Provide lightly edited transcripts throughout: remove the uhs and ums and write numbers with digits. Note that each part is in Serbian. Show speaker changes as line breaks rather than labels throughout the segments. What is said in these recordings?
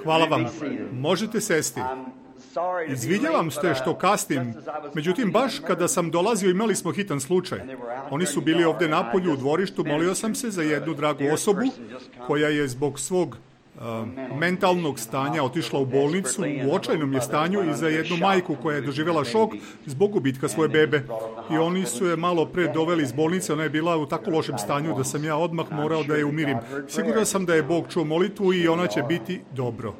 Hvala vam. Možete sesti. Izvinjavam se što kasnim, međutim baš kada sam dolazio imali smo hitan slučaj. Oni su bili ovdje napolju u dvorištu, molio sam se za jednu dragu osobu koja je zbog svog mentalnog stanja otišla u bolnicu, u očajnom je stanju, i za jednu majku koja je doživjela šok zbog gubitka svoje bebe. I oni su je malo pre doveli iz bolnice, ona je bila u tako lošem stanju da sam ja odmah morao da je umirim. Siguran sam da je Bog čuo molitvu i ona će biti dobro.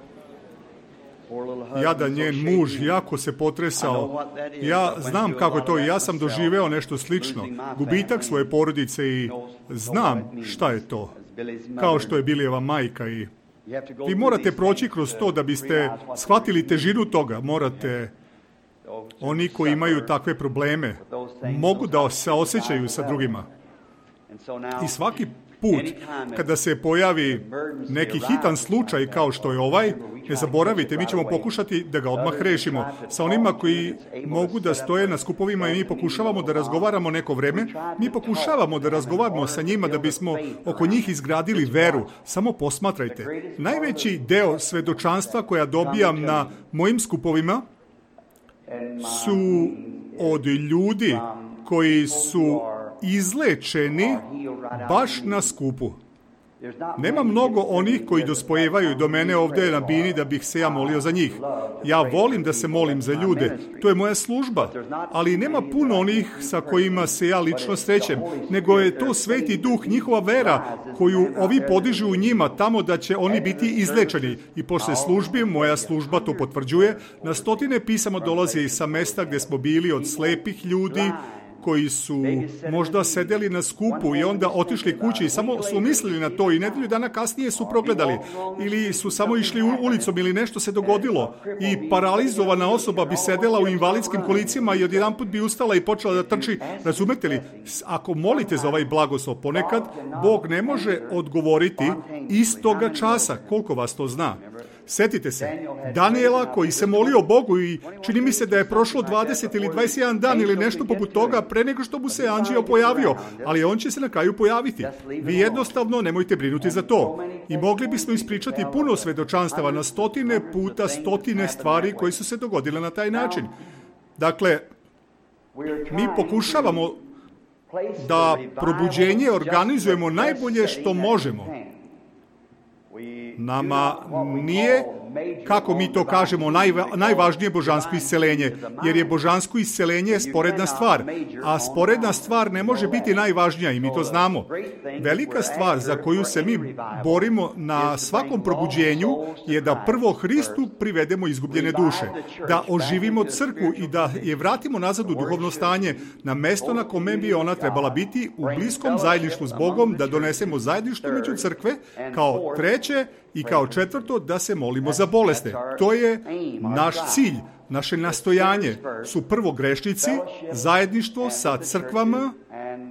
Jadan njen muž jako se potresao. Ja znam kako je to i ja sam doživeo nešto slično. Gubitak svoje porodice i znam šta je to. Kao što je Bilijeva majka i vi morate proći kroz to da biste shvatili težinu toga. Oni koji imaju takve probleme mogu da se osjećaju sa drugima. I svaki put kada se pojavi neki hitan slučaj kao što je ovaj, ne zaboravite, mi ćemo pokušati da ga odmah rešimo. Sa onima koji mogu da stoje na skupovima i mi pokušavamo da razgovaramo neko vreme, mi pokušavamo da razgovaramo sa njima da bismo oko njih izgradili veru. Samo posmatrajte. Najveći deo svedočanstva koja dobijam na mojim skupovima su od ljudi koji su izlečeni baš na skupu. Nema mnogo onih koji dospojevaju do mene ovdje na bini da bih se ja molio za njih. Ja volim da se molim za ljude, to je moja služba, ali nema puno onih sa kojima se ja lično srećem, nego je to Sveti Duh, njihova vera koju ovi podižu u njima tamo da će oni biti izlečeni. I posle službi, moja služba to potvrđuje, na stotine pisama dolaze i sa mesta gdje smo bili od slepih ljudi, koji su možda sedeli na skupu i onda otišli kući i samo su mislili na to i nedelju dana kasnije su progledali ili su samo išli ulicom ili nešto se dogodilo i paralizovana osoba bi sedela u invalidskim kolicima i odjedanput bi ustala i počela da trči. Razumete li? Ako molite za ovaj blagoslov ponekad, Bog ne može odgovoriti istoga časa. Koliko vas to zna? Setite se, Daniela koji se molio Bogu i čini mi se da je prošlo 20 ili 21 dan ili nešto poput toga pre nego što mu se anđeo pojavio, ali on će se na kraju pojaviti. Vi jednostavno nemojte brinuti za to. I mogli bismo ispričati puno svedočanstava na stotine puta, stotine stvari koje su se dogodile na taj način. Dakle, mi pokušavamo da probuđenje organizujemo najbolje što možemo. Nama nije, kako mi to kažemo, najvažnije božansko isceljenje, jer je božansko isceljenje sporedna stvar, a sporedna stvar ne može biti najvažnija i mi to znamo. Velika stvar za koju se mi borimo na svakom probuđenju je da prvo Hristu privedemo izgubljene duše, da oživimo crkvu i da je vratimo nazad u duhovno stanje, na mesto na kome bi ona trebala biti, u bliskom zajedništvu s Bogom, da donesemo zajedništvo među crkve, kao treće i kao četvrto da se molimo za bolesne. To je naš cilj, naše nastojanje. Su prvo grešnici, zajedništvo sa crkvama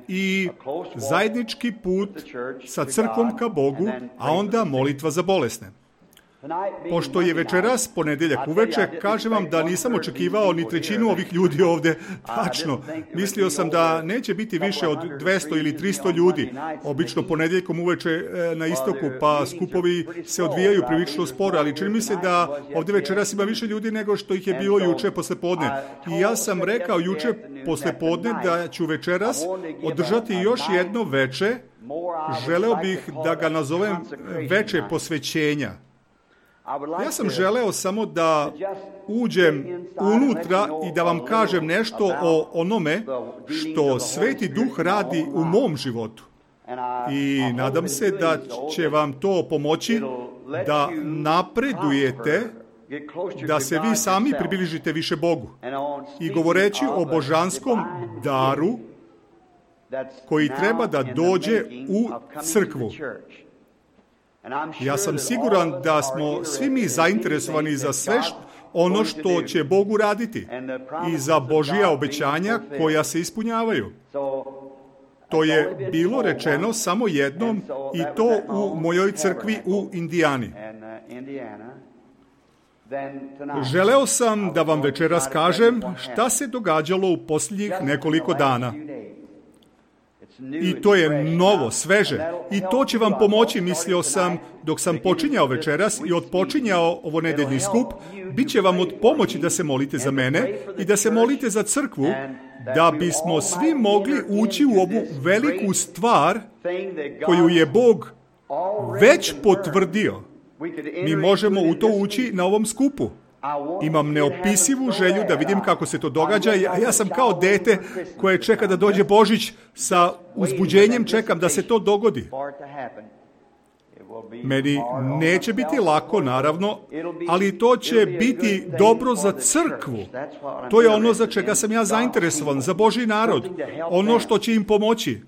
i zajednički put sa crkvom ka Bogu, a onda molitva za bolesne. Pošto je večeras ponedjeljak uveče, kažem vam da nisam očekivao ni trećinu ovih ljudi ovdje. Tačno, mislio sam da neće biti više od 200 ili 300 ljudi. Obično ponedjeljkom uveče na istoku, pa skupovi se odvijaju prilično sporo, ali čini mi se da ovdje večeras ima više ljudi nego što ih je bilo juče poslepodne. I ja sam rekao juče poslepodne da ću večeras održati još jedno veče. Želeo bih da ga nazovem veče posvećenja. Ja sam želeo samo da uđem unutra i da vam kažem nešto o onome što Sveti Duh radi u mom životu. I nadam se da će vam to pomoći da napredujete, da se vi sami približite više Bogu. I govoreći o božanskom daru koji treba da dođe u crkvu. Ja sam siguran da smo svi mi zainteresovani za sve ono što će Bog uraditi i za Božja obećanja koja se ispunjavaju. To je bilo rečeno samo jednom i to u mojoj crkvi u Indijani. Želeo sam da vam večeras kažem šta se događalo u posljednjih nekoliko dana. I to je novo, sveže. I to će vam pomoći, mislio sam, dok sam počinjao večeras i odpočinjao ovo nedeljni skup, bit će vam od pomoći da se molite za mene i da se molite za crkvu, da bismo svi mogli ući u ovu veliku stvar koju je Bog već potvrdio. Mi možemo u to ući na ovom skupu. Imam neopisivu želju da vidim kako se to događa, a ja sam kao dete koje čeka da dođe Božić, sa uzbuđenjem čekam da se to dogodi. Meni neće biti lako, naravno, ali to će biti dobro za crkvu. To je ono za čega sam ja zainteresovan, za Božji narod. Ono što će im pomoći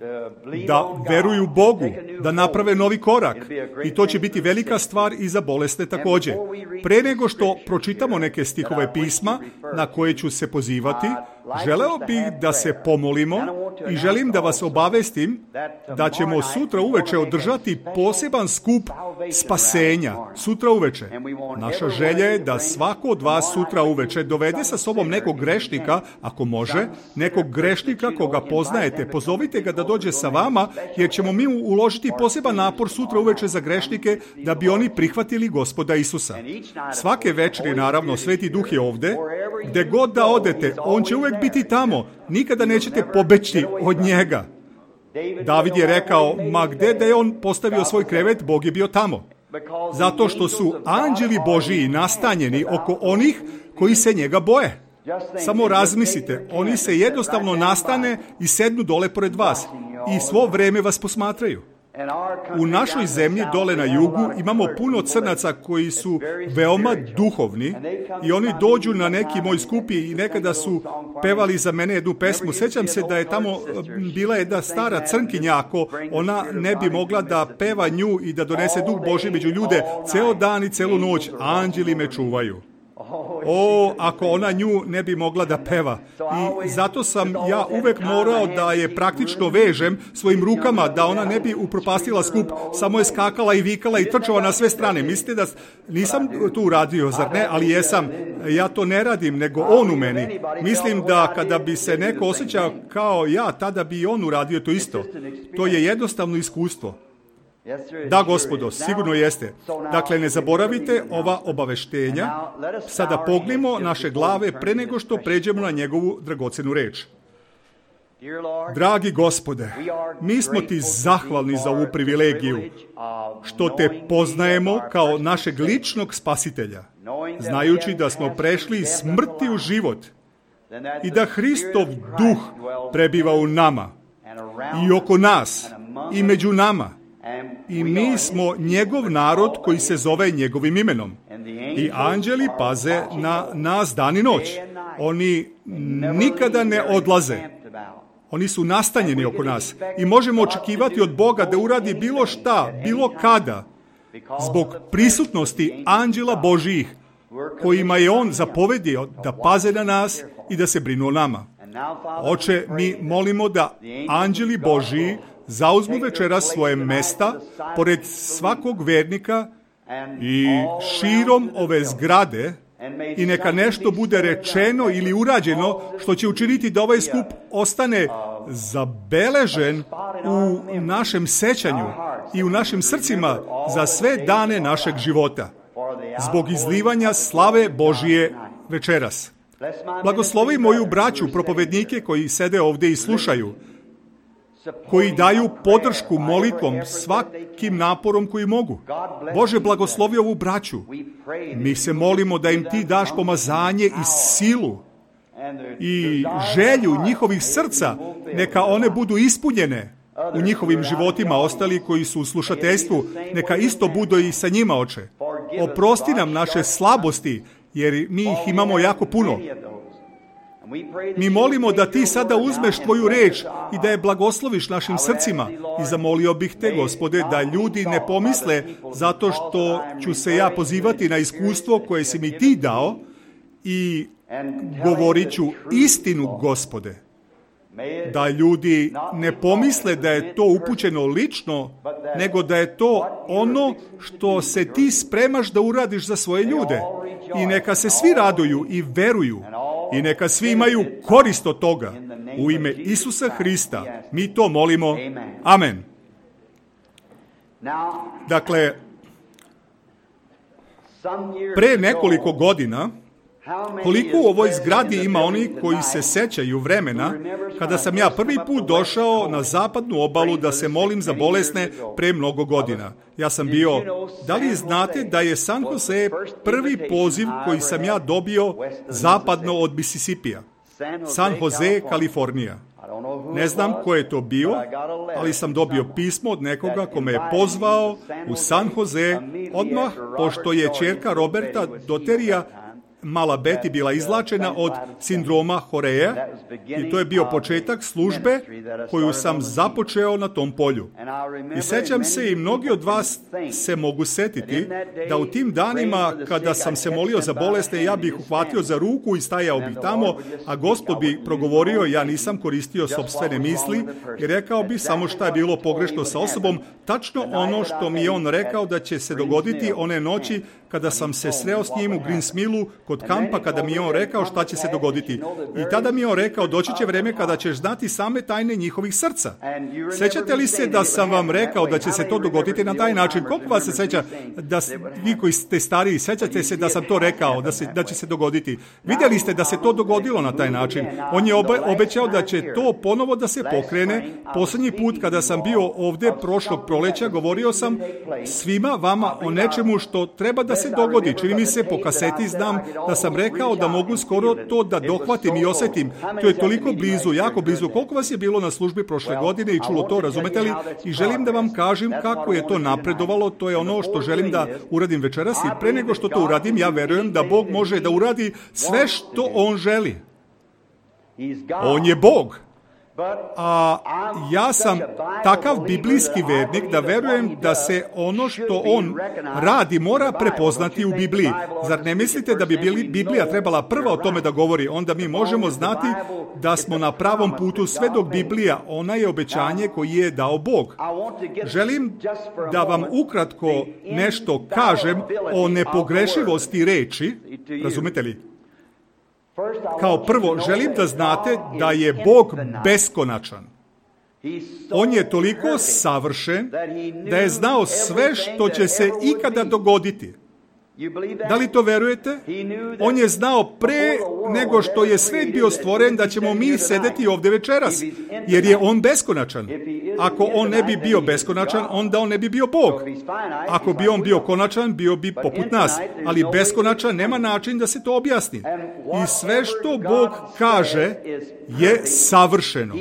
da veruju Bogu, da naprave novi korak. I to će biti velika stvar i za bolesne također. Pre nego što pročitamo neke stihove pisma na koje ću se pozivati, želeo bih da se pomolimo i želim da vas obavestim da ćemo sutra uveče održati poseban skup spasenja. Sutra uveče. Naša želja je da svako od vas sutra uveče dovede sa sobom nekog grešnika, ako može, nekog grešnika koga poznajete. Pozovite ga da dođe sa vama, jer ćemo mi uložiti poseban napor sutra uveče za grešnike da bi oni prihvatili Gospoda Isusa. Svake večeri, naravno, Sveti Duh je ovde. Gde god da odete, on će uvek biti tamo. Nikada nećete pobeći od njega. David je rekao, ma gde da je on postavio svoj krevet, Bog je bio tamo. Zato što su anđeli Božiji nastanjeni oko onih koji se njega boje. Samo razmislite, oni se jednostavno nastane i sednu dole pored vas i svo vreme vas posmatraju. U našoj zemlji dole na jugu imamo puno crnaca koji su veoma duhovni i oni dođu na neki moj skup i nekada su pevali za mene jednu pesmu. Sećam se da je tamo bila jedna stara crnkinja, ako ona ne bi mogla da peva nju i da donese Duh Božji među ljude ceo dan i celu noć, anđeli me čuvaju. Ako ona nju ne bi mogla da peva. I zato sam ja uvek morao da je praktično vežem svojim rukama, da ona ne bi upropastila skup, samo je skakala i vikala i trčala na sve strane. Mislite da nisam to uradio, zar ne? Ali jesam. Ja to ne radim, nego on u meni. Mislim da kada bi se neko osjećao kao ja, tada bi i on uradio to isto. To je jednostavno iskustvo. Da, Gospodo, sigurno jeste. Dakle, ne zaboravite ova obaveštenja. Sada pognimo naše glave pre nego što pređemo na njegovu dragocenu reč. Dragi Gospode, mi smo ti zahvalni za ovu privilegiju, što te poznajemo kao našeg ličnog spasitelja, znajući da smo prešli iz smrti u život i da Hristov duh prebiva u nama i oko nas i među nama. I mi smo njegov narod koji se zove njegovim imenom. I anđeli paze na nas dan i noć. Oni nikada ne odlaze. Oni su nastanjeni oko nas. I možemo očekivati od Boga da uradi bilo šta, bilo kada, zbog prisutnosti anđela Božijih, kojima je on zapovedio da paze na nas i da se brinu o nama. Oče, mi molimo da anđeli Božiji zauzmu večeras svoje mesta pored svakog vernika i širom ove zgrade i neka nešto bude rečeno ili urađeno što će učiniti da ovaj skup ostane zabeležen u našem sećanju i u našim srcima za sve dane našeg života, zbog izlivanja slave Božije večeras. Blagoslovi moju braću, propovednike koji sede ovdje i slušaju, koji daju podršku molitvom svakim naporom koji mogu. Bože, blagoslovi ovu braću. Mi se molimo da im ti daš pomazanje i silu i želju njihovih srca, neka one budu ispunjene u njihovim životima. Ostali koji su u slušateljstvu, neka isto budu i sa njima, Oče. Oprosti nam naše slabosti, jer mi ih imamo jako puno. Mi molimo da ti sada uzmeš tvoju reč i da je blagosloviš našim srcima. I zamolio bih te, Gospode, da ljudi ne pomisle zato što ću se ja pozivati na iskustvo koje si mi ti dao i govorit ću istinu, Gospode. Da ljudi ne pomisle da je to upućeno lično, nego da je to ono što se ti spremaš da uradiš za svoje ljude. I neka se svi raduju i veruju. I neka svi imaju korist od toga. U ime Isusa Hrista mi to molimo. Amen. Dakle, pre nekoliko godina, koliko u ovoj zgradi ima oni koji se sećaju vremena kada sam ja prvi put došao na zapadnu obalu da se molim za bolesne pre mnogo godina. Ja sam bio, da li znate da je San Jose prvi poziv koji sam ja dobio zapadno od Mississippija? San Jose, Kalifornija. Ne znam ko je to bio, ali sam dobio pismo od nekoga ko me je pozvao u San Jose odmah, pošto je ćerka Roberta Doterija, mala Betty, bila izlačena od sindroma Horeja i to je bio početak službe koju sam započeo na tom polju. I sećam se, i mnogi od vas se mogu setiti, da u tim danima kada sam se molio za bolesne, ja bih uhvatio za ruku i stajao bih tamo, a Gospod bi progovorio, ja nisam koristio sopstvene misli i rekao bi samo šta je bilo pogrešno sa osobom, tačno ono što mi je on rekao da će se dogoditi one noći kada sam se sreo s njim u Greensmillu kod kampa, kada mi je on rekao šta će se dogoditi. I tada mi je on rekao, doći će vreme kada ćeš znati same tajne njihovih srca. Sećate li se da sam vam rekao da će se to dogoditi na taj način? Koliko vas se seća, da vi koji ste stariji, sećate se da sam to rekao, da će se dogoditi? Vidjeli ste da se to dogodilo na taj način. On je obećao da će to ponovo da se pokrene. Posljednji put kada sam bio ovdje prošlog proleća, govorio sam svima vama o nečemu što treba da se dogodi. Čini mi se, po kaseti znam da sam rekao da mogu skoro to da dohvatim i osjetim. To je toliko blizu, jako blizu. Koliko vas je bilo na službi prošle godine i čulo to, razumete li? I želim da vam kažem kako je to napredovalo. To je ono što želim da uradim večeras i pre nego što to uradim, ja verujem da Bog može da uradi sve što On želi. On je Bog. A ja sam takav biblijski vernik da verujem da se ono što on radi mora prepoznati u Bibliji. Zar ne mislite da bi Biblija trebala prva o tome da govori? Onda mi možemo znati da smo na pravom putu sve dok Biblija, ona je obećanje koje je dao Bog. Želim da vam ukratko nešto kažem o nepogrešivosti reči, razumete li? Kao prvo, želim da znate da je Bog beskonačan. On je toliko savršen da je znao sve što će se ikada dogoditi. Da li to verujete? On je znao pre nego što je svet bio stvoren da ćemo mi sedeti ovdje večeras, jer je on beskonačan. Ako on ne bi bio beskonačan, onda on ne bi bio Bog. Ako bi on bio konačan, bio bi poput nas, ali beskonačan nema način da se to objasni. I sve što Bog kaže je savršeno.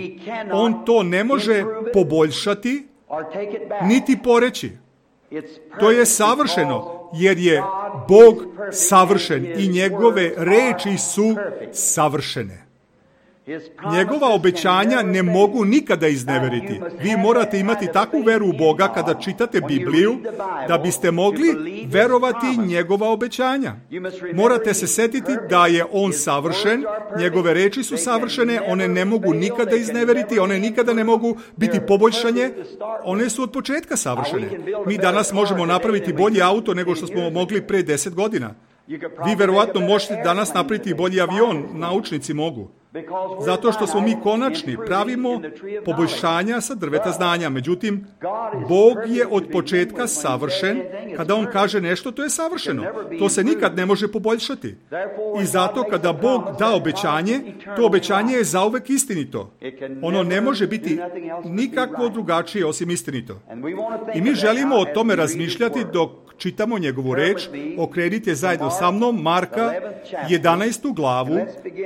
On to ne može poboljšati, niti poreći. To je savršeno, jer je Bog savršen i njegove reči su savršene. Njegova obećanja ne mogu nikada izneveriti. Vi morate imati takvu veru u Boga kada čitate Bibliju da biste mogli verovati njegova obećanja. Morate se setiti da je on savršen, njegove reči su savršene, one ne mogu nikada izneveriti, one nikada ne mogu biti poboljšanje, one su od početka savršene. Mi danas možemo napraviti bolji auto nego što smo mogli pre 10 godina. Vi verovatno možete danas napraviti bolji avion, naučnici mogu. Zato što smo mi konačni, pravimo poboljšanja sa drveta znanja. Međutim, Bog je od početka savršen. Kada On kaže nešto, to je savršeno. To se nikad ne može poboljšati. I zato kada Bog da obećanje, to obećanje je zauvek istinito. Ono ne može biti nikakvo drugačije osim istinito. I mi želimo o tome razmišljati dok čitamo njegovu reč. Okrenite zajedno sa mnom Marka 11. glavu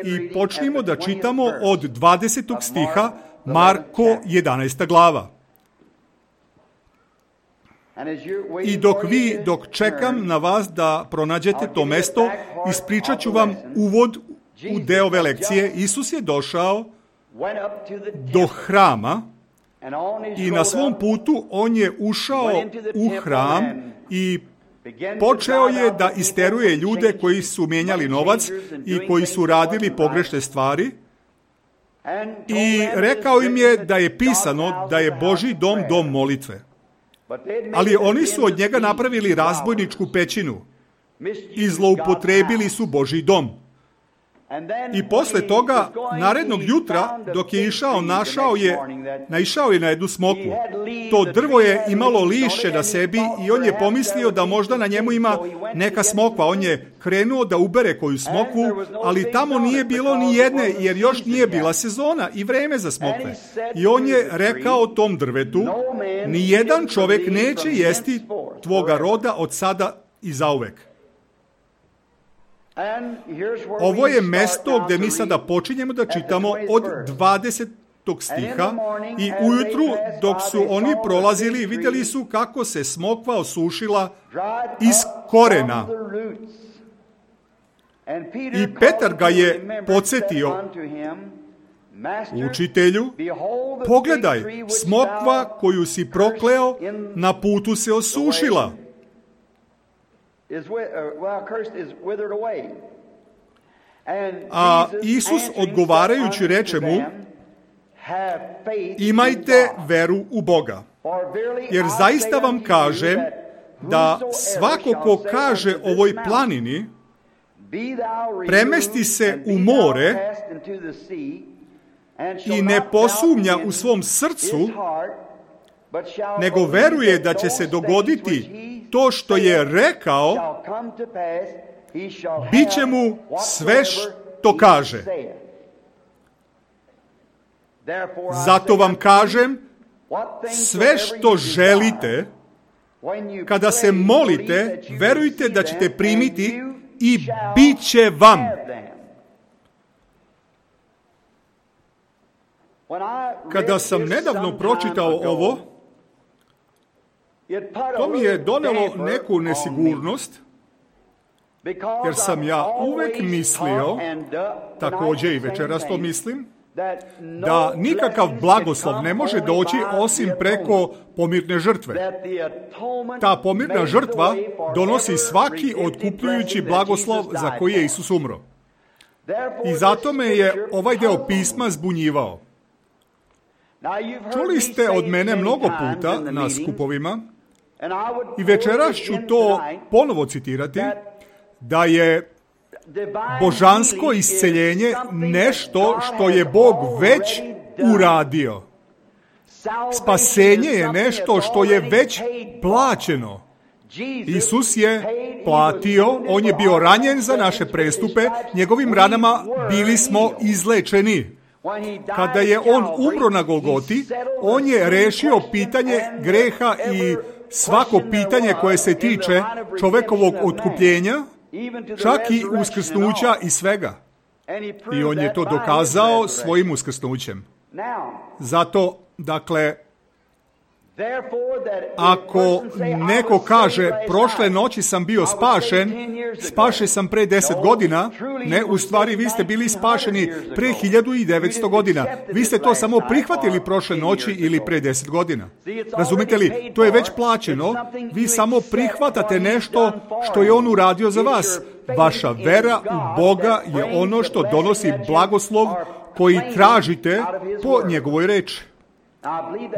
i počnimo da čitamo od 20. stiha, Marko 11. glava. I dok čekam na vas da pronađete to mesto, ispričat ću vam uvod u deo ove lekcije. Isus je došao do hrama i na svom putu on je ušao u hram i počeo je da isteruje ljude koji su mijenjali novac i koji su radili pogrešne stvari i rekao im je da je pisano da je Božji dom dom molitve. Ali oni su od njega napravili razbojničku pećinu i zloupotrebili su Božji dom. I posle toga, narednog jutra, dok je išao, naišao je na jednu smokvu. To drvo je imalo lišće na sebi i on je pomislio da možda na njemu ima neka smokva. On je krenuo da ubere koju smokvu, ali tamo nije bilo ni jedne, jer još nije bila sezona i vreme za smokve. I on je rekao tom drvetu, ni jedan čovjek neće jesti tvoga roda od sada i zauvek. Ovo je mesto gdje mi sada počinjemo da čitamo od 20. stiha i ujutru dok su oni prolazili vidjeli su kako se smokva osušila iz korena. I Petar ga je podsjetio, učitelju, pogledaj, smokva koju si prokleo na putu se osušila. A Isus odgovarajući reče mu, imajte veru u Boga. Jer zaista vam kažem da svako ko kaže ovoj planini, premesti se u more i ne posumnja u svom srcu, nego veruje da će se dogoditi to što je rekao, bit će mu sve što kaže. Zato vam kažem, sve što želite, kada se molite, verujte da ćete primiti i bit će vam. Kada sam nedavno pročitao ovo, to mi je donelo neku nesigurnost, jer sam ja uvek mislio, također i večeras to mislim, da nikakav blagoslov ne može doći osim preko pomirne žrtve. Ta pomirna žrtva donosi svaki otkupljujući blagoslov za koji je Isus umro. I zato me je ovaj deo pisma zbunjivao. Čuli ste od mene mnogo puta na skupovima, i večeras ću to ponovo citirati, da je božansko isceljenje nešto što je Bog već uradio. Spasenje je nešto što je već plaćeno. Isus je platio, on je bio ranjen za naše prestupe, njegovim ranama bili smo izlečeni. Kada je on umro na Golgoti, on je rešio pitanje greha i svako pitanje koje se tiče čovekovog otkupljenja, čak i uskrsnuća i svega. I on je to dokazao svojim uskrsnućem. Zato, dakle, ako neko kaže, prošle noći sam bio spašen sam pre 10 godina, ne, u stvari vi ste bili spašeni pre 1900 godina. Vi ste to samo prihvatili prošle noći ili pre 10 godina. Razumite li? To je već plaćeno. Vi samo prihvatate nešto što je on uradio za vas. Vaša vera u Boga je ono što donosi blagoslov koji tražite po njegovoj reči.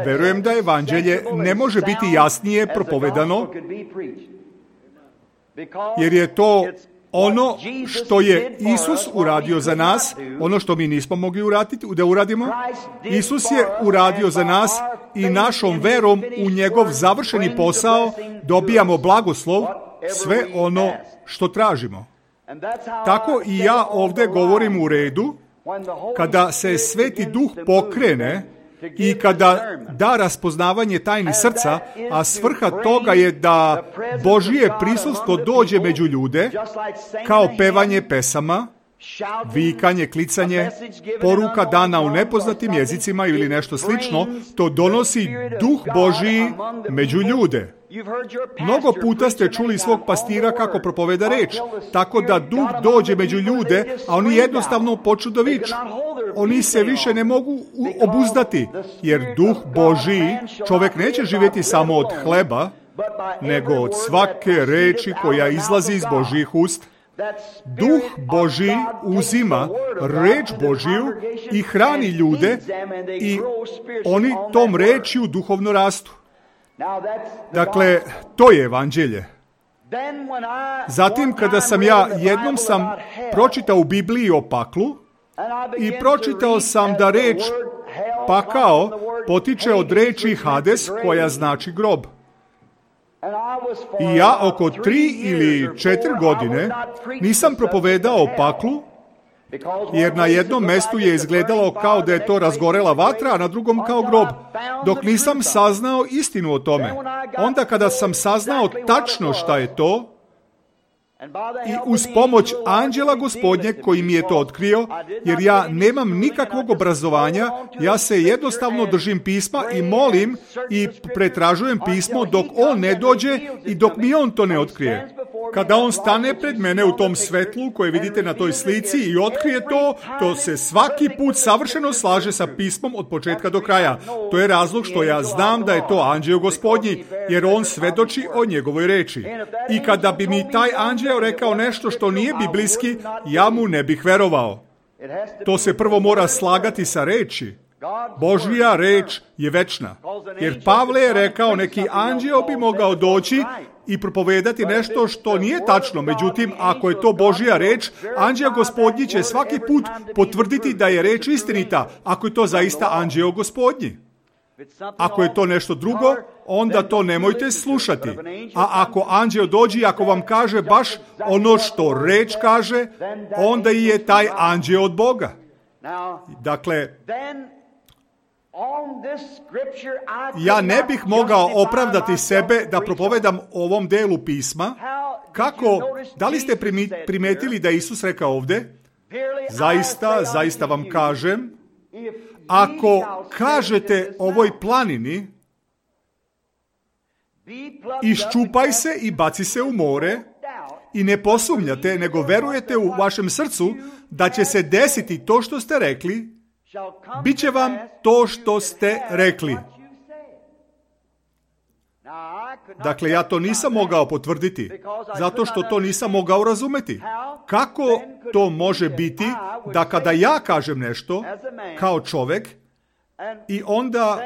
Verujem da evanđelje ne može biti jasnije propovedano, jer je to ono što je Isus uradio za nas, ono što mi nismo mogli da uradimo. Isus je uradio za nas i našom verom u njegov završeni posao dobijamo blagoslov, sve ono što tražimo. Tako i ja ovdje govorim u redu, kada se Sveti Duh pokrene i kada da raspoznavanje tajni srca, a svrha toga je da Božije prisustvo dođe među ljude, kao pevanje pesama, vikanje, klicanje, poruka dana u nepoznatim jezicima ili nešto slično, to donosi Duh Božiji među ljude. Mnogo puta ste čuli svog pastira kako propoveda reč, tako da Duh dođe među ljude, a oni jednostavno počnu da viču. Oni se više ne mogu obuzdati, jer Duh Božiji, čovjek neće živjeti samo od hleba, nego od svake reči koja izlazi iz Božjih usta. Duh Božji uzima reč Božiju i hrani ljude i oni tom rečju duhovno rastu. Dakle, to je evanđelje. Zatim, kada sam jednom sam pročitao u Bibliji o paklu i pročitao sam da reč pakao potiče od reči Hades, koja znači grob. I ja oko 3 ili 4 godine nisam propovedao o paklu, jer na jednom mestu je izgledalo kao da je to razgorela vatra, a na drugom kao grob, dok nisam saznao istinu o tome. Onda kada sam saznao tačno šta je to, i uz pomoć anđela Gospodnjeg koji mi je to otkrio, jer ja nemam nikakvog obrazovanja, ja se jednostavno držim pisma i molim i pretražujem pismo dok on ne dođe i dok mi on to ne otkrije. Kada on stane pred mene u tom svetlu koje vidite na toj slici i otkrije to se svaki put savršeno slaže sa pismom od početka do kraja. To je razlog što ja znam da je to anđeo Gospodnji, jer on svedoči o njegovoj reči. I kada bi mi taj anđeo rekao nešto što nije biblijski, ja mu ne bih verovao. To se prvo mora slagati sa reči. Božja reč je večna. Jer Pavle je rekao, neki anđeo bi mogao doći i propovedati nešto što nije tačno. Međutim, ako je to Božja reč, anđeo Gospodnji će svaki put potvrditi da je reč istinita, ako je to zaista anđeo Gospodnji. Ako je to nešto drugo, onda to nemojte slušati. A ako anđeo dođe i ako vam kaže baš ono što reč kaže, onda je taj anđeo od Boga. Dakle, ja ne bih mogao opravdati sebe da propovedam ovom delu pisma. Kako? Da li ste primetili da Isus rekao ovdje? Zaista vam kažem, ako kažete ovoj planini, iščupaj se i baci se u more, i ne posumnjate, nego verujete u vašem srcu da će se desiti to što ste rekli, bit će vam to što ste rekli. Dakle, ja to nisam mogao potvrditi, zato što to nisam mogao razumeti. Kako to može biti da kada ja kažem nešto kao čovjek, i onda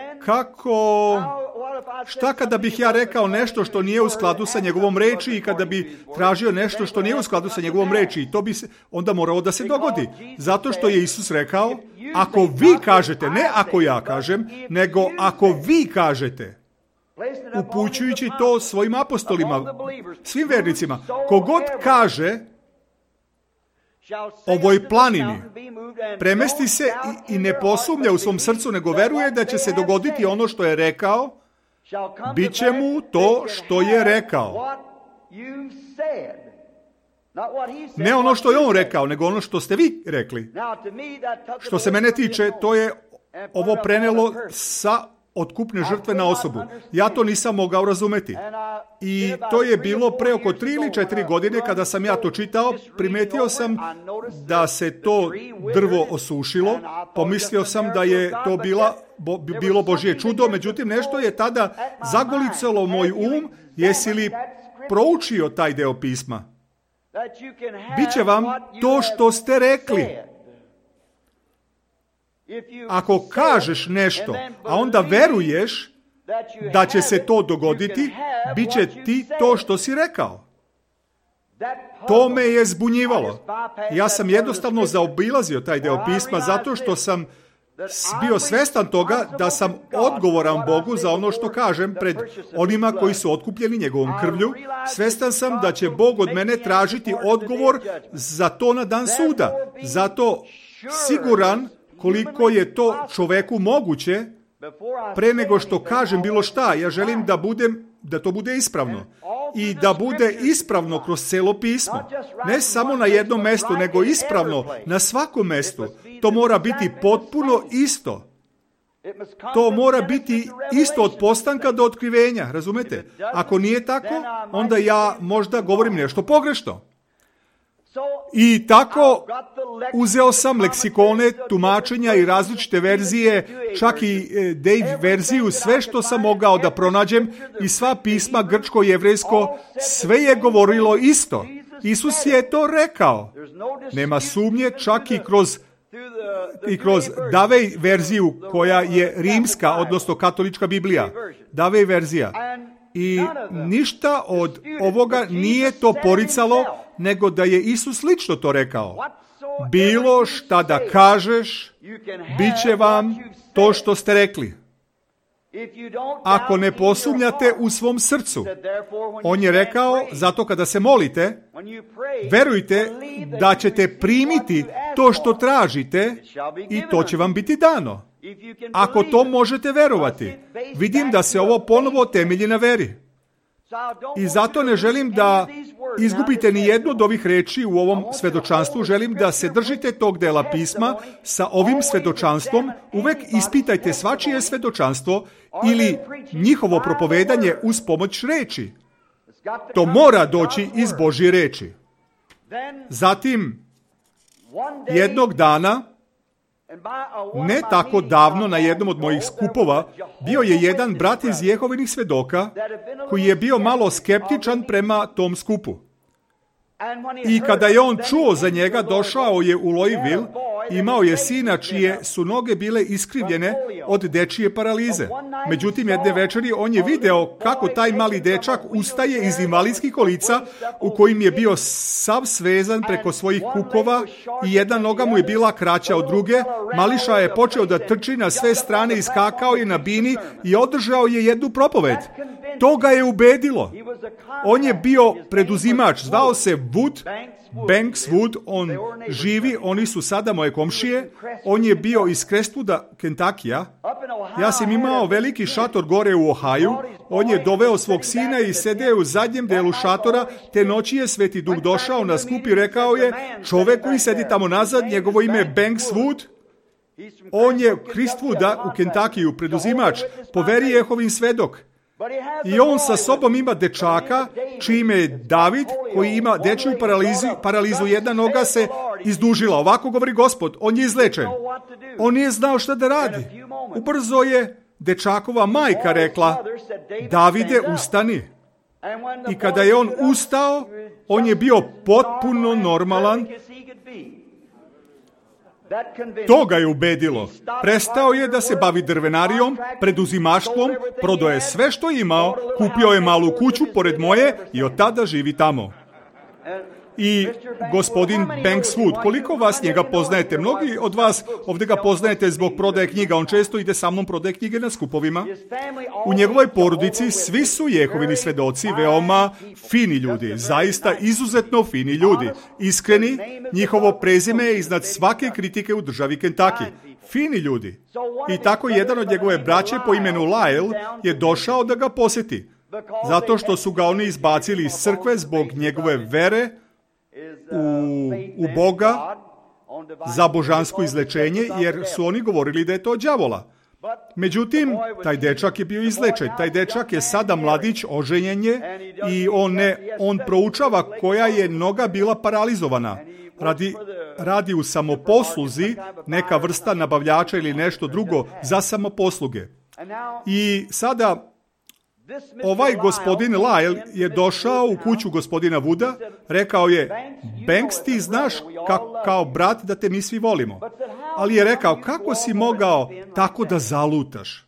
šta kada bih ja rekao nešto što nije u skladu sa njegovom reči i kada bi tražio nešto što nije u skladu sa njegovom reči, i to bi se onda moralo da se dogodi. Zato što je Isus rekao, ako vi kažete, ne ako ja kažem, nego ako vi kažete, upućujući to svojim apostolima, svim vernicima, kogod kaže ovoj planini, premesti se i ne posumnja u svom srcu, nego veruje da će se dogoditi ono što je rekao, bit će mu to što je rekao. Ne ono što je on rekao, nego ono što ste vi rekli. Što se mene tiče, to je ovo prenelo sa otkupne žrtve na osobu. Ja to nisam mogao razumeti. I to je bilo pre oko 3 ili 4 godine kada sam ja to čitao. Primetio sam da se to drvo osušilo. Pomislio sam da je to bilo Božje čudo. Međutim, nešto je tada zagolicalo moj um. Jesi li proučio taj deo pisma? Biće vam to što ste rekli. Ako kažeš nešto, a onda veruješ da će se to dogoditi, bit će ti to što si rekao. To me je zbunjivalo. Ja sam jednostavno zaobilazio taj deo pisma zato što sam bio svestan toga da sam odgovoran Bogu za ono što kažem pred onima koji su otkupljeni njegovom krvlju. Svestan sam da će Bog od mene tražiti odgovor za to na dan suda. Zato siguran koliko je to čoveku moguće, pre nego što kažem bilo šta, ja želim da to bude ispravno. I da bude ispravno kroz celo pismo. Ne samo na jednom mestu, nego ispravno na svakom mestu. To mora biti potpuno isto. To mora biti isto od postanka do otkrivenja, razumete? Ako nije tako, onda ja možda govorim nešto pogrešno. I tako uzeo sam leksikone, tumačenja i različite verzije, čak i Dave verziju, sve što sam mogao da pronađem i sva pisma, grčko, jevrejsko, sve je govorilo isto. Isus je to rekao. Nema sumnje, čak i kroz Davej verziju koja je rimska, odnosno katolička Biblija. Davej verzija. I ništa od ovoga nije to poricalo, nego da je Isus lično to rekao. Bilo šta da kažeš, bit će vam to što ste rekli. Ako ne posumnjate u svom srcu. On je rekao, zato kada se molite, verujte da ćete primiti to što tražite i to će vam biti dano. Ako to možete verovati. Vidim da se ovo ponovo temelji na veri. I zato ne želim da izgubite ni jednu od ovih reči u ovom svedočanstvu. Želim da se držite tog dela pisma sa ovim svedočanstvom. Uvek ispitajte svačije svedočanstvo ili njihovo propovedanje uz pomoć reči. To mora doći iz Božje reči. Zatim, jednog dana, ne tako davno, na jednom od mojih skupova, bio je jedan brat iz Jehovinih svedoka koji je bio malo skeptičan prema tom skupu. I kada je on čuo za njega, došao je u Louisville, imao je sina čije su noge bile iskrivljene od dečije paralize. Međutim, jedne večeri on je video kako taj mali dečak ustaje iz invalidskih kolica u kojim je bio sav svezan preko svojih kukova i jedna noga mu je bila kraća od druge. Mališa je počeo da trči na sve strane, iskakao je na bini i održao je jednu propoved. To ga je ubedilo. On je bio preduzimač, zvao se Banks Wood, on živi, oni su sada moje komšije, on je bio iz Crestwooda, Kentakija. Ja sam imao veliki šator gore u Ohaju, on je doveo svog sina i sedeo u zadnjem delu šatora, te noći je Sveti Duh došao na skup i rekao je, čovek koji sedi tamo nazad, njegovo ime je Banks Wood, on je Crestwooda u Kentakiju, preduzimač, po veri Jehovin svedok. I on sa sobom ima dečaka, čije ime je David, koji ima dečju paralizu, jedna noga se izdužila. Ovako govori Gospod, on je izlečen. On nije znao šta da radi. Ubrzo je dečakova majka rekla, Davide, ustani. I kada je on ustao, on je bio potpuno normalan. To ga je ubedilo. Prestao je da se bavi drvenarijom, preduzimaštvom, prodao je sve što je imao, kupio je malu kuću pored moje i od tada živi tamo. I gospodin Banks Wood, koliko vas njega poznajete? Mnogi od vas ovdje ga poznajete zbog prodaje knjiga. On često ide sa mnom prodaje knjige na skupovima. U njegovoj porodici svi su Jehovini svedoci, veoma fini ljudi, zaista izuzetno fini ljudi. Iskreni, njihovo prezime je iznad svake kritike u državi Kentucky. Fini ljudi. I tako jedan od njegove braće po imenu Lyle je došao da ga posjeti. Zato što su ga oni izbacili iz crkve zbog njegove vere u Boga za božansko izlečenje, jer su oni govorili da je to đavola. Međutim, taj dečak je bio izlečen. Taj dečak je sada mladić, oženjen je i on proučava koja je noga bila paralizovana. Radi u samoposluzi, neka vrsta nabavljača ili nešto drugo za samoposluge. I sada ovaj gospodin Lyle je došao u kuću gospodina Wooda, rekao je, Banks, ti znaš kao brat da te mi svi volimo. Ali je rekao, kako si mogao tako da zalutaš?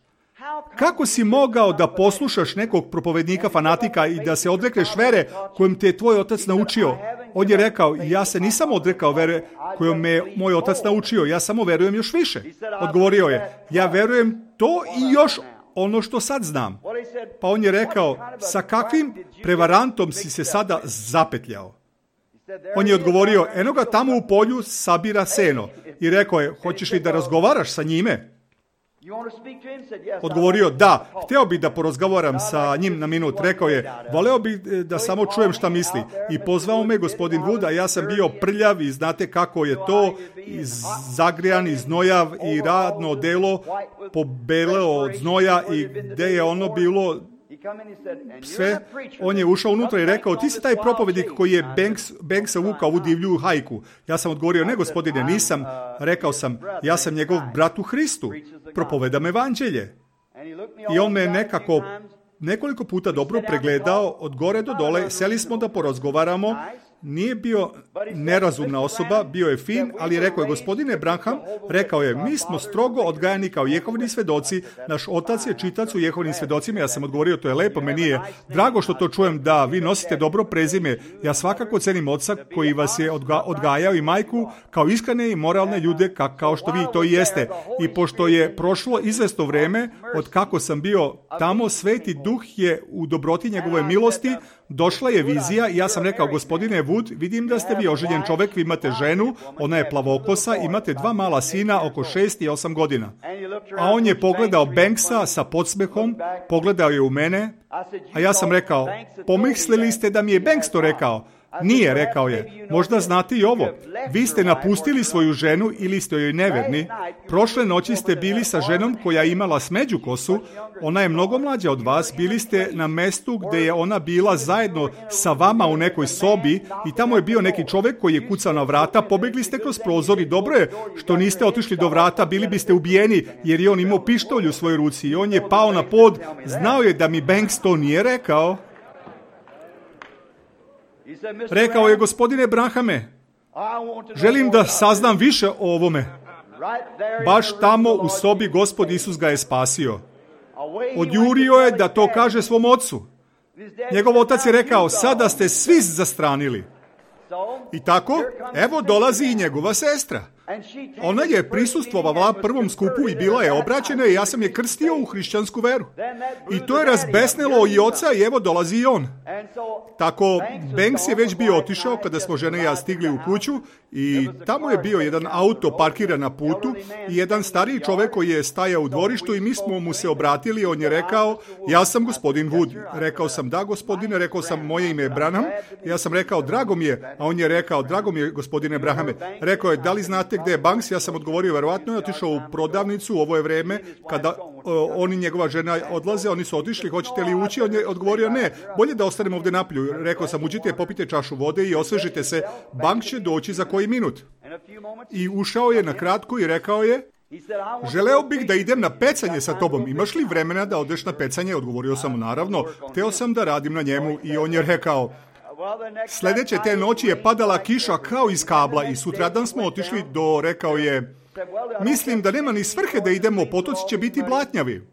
Kako si mogao da poslušaš nekog propovednika fanatika i da se odrekneš vere kojom te je tvoj otac naučio? On je rekao, ja se nisam odrekao vere kojom me moj otac naučio, ja samo verujem još više. Odgovorio je, ja verujem to i još ono što sad znam. Pa on je rekao, sa kakvim prevarantom si se sada zapetljao? On je odgovorio, eno ga tamo u polju sabira seno. I rekao je, hoćeš li da razgovaraš sa njime? Odgovorio, da, hteo bi da porazgovaram sa njim na minut. Rekao je, voleo bi da samo čujem šta misli. I pozvao me gospodin Wood, a ja sam bio prljav i znate kako je to, zagrijan i znojav i radno delo pobeleo od znoja i gde je ono bilo sve. On je ušao unutra i rekao, ti si taj propovednik koji je Banksa vukao u divlju hajku. Ja sam odgovorio, ne gospodine, nisam. Rekao sam, ja sam njegov brat u Hristu. Propovedam evanđelje. I on me nekoliko puta dobro pregledao od gore do dole. Seli smo da porazgovaramo Nije bio nerazumna osoba, bio je fin, ali rekao je, gospodine Branham, rekao je, mi smo strogo odgajani kao Jehovini svedoci, naš otac je čitac u Jehovinim svedocima. Ja sam odgovorio, to je lepo, meni je drago što to čujem, da vi nosite dobro prezime. Ja svakako cenim oca koji vas je odgajao i majku kao iskrene i moralne ljude kao što vi to i jeste. I pošto je prošlo izvesno vreme od kako sam bio tamo, Sveti Duh je u dobroti njegove milosti, došla je vizija i ja sam rekao, gospodine Wood, vidim da ste vi oženjen čovjek, vi imate ženu, ona je plavokosa, imate 2 mala sina oko 6 i 8 godina. A on je pogledao Banksa sa podsmehom, pogledao je u mene, a ja sam rekao, pomislili ste da mi je Banks to rekao? Nije, rekao je. Možda znate i ovo. Vi ste napustili svoju ženu ili ste joj neverni. Prošle noći ste bili sa ženom koja je imala smeđu kosu. Ona je mnogo mlađa od vas. Bili ste na mestu gdje je ona bila zajedno sa vama u nekoj sobi i tamo je bio neki čovjek koji je kucao na vrata. Pobegli ste kroz prozor i dobro je što niste otišli do vrata. Bili biste ubijeni jer je on imao pištolj u svojoj ruci i on je pao na pod. Znao je da mi Banks to nije rekao. Rekao je, gospodine Branhame, želim da saznam više o ovome. Baš tamo u sobi Gospod Isus ga je spasio. Odjurio je da to kaže svom ocu. Njegov otac je rekao, sada ste svi zastranili. I tako, evo dolazi i njegova sestra. Ona je prisustvovala prvom skupu i bila je obraćena i ja sam je krstio u hrišćansku veru. I to je razbesnilo i oca i evo dolazi i on. Tako, Banks je već bio otišao kada smo žene i ja stigli u kuću i tamo je bio jedan auto parkiran na putu i jedan stariji čovjek koji je stajao u dvorištu i mi smo mu se obratili. On je rekao, ja sam gospodin Wood. Rekao sam, da gospodine, rekao sam, moje ime je Branham. Ja sam rekao, drago mi je, a on je rekao, drago mi je gospodine Branhame. Rekao je, da li znate gdje je Banks? Ja sam odgovorio, verovatno je otišao u prodavnicu, ovo je vreme kada on i njegova žena odlaze, oni su otišli, hoćete li ući? On je odgovorio, ne, bolje da ostanemo ovdje napolju. Rekao sam, uđite, popite čašu vode i osvežite se, Banks će doći za koji minut. I ušao je na kratko i rekao je, želeo bih da idem na pecanje sa tobom, imaš li vremena da odeš na pecanje? Odgovorio sam mu, naravno, hteo sam da radim na njemu i on je rekao, sljedeće te noći je padala kiša kao iz kabla i sutradan smo otišli do, rekao je, mislim da nema ni svrhe da idemo, potoci će biti blatnjavi.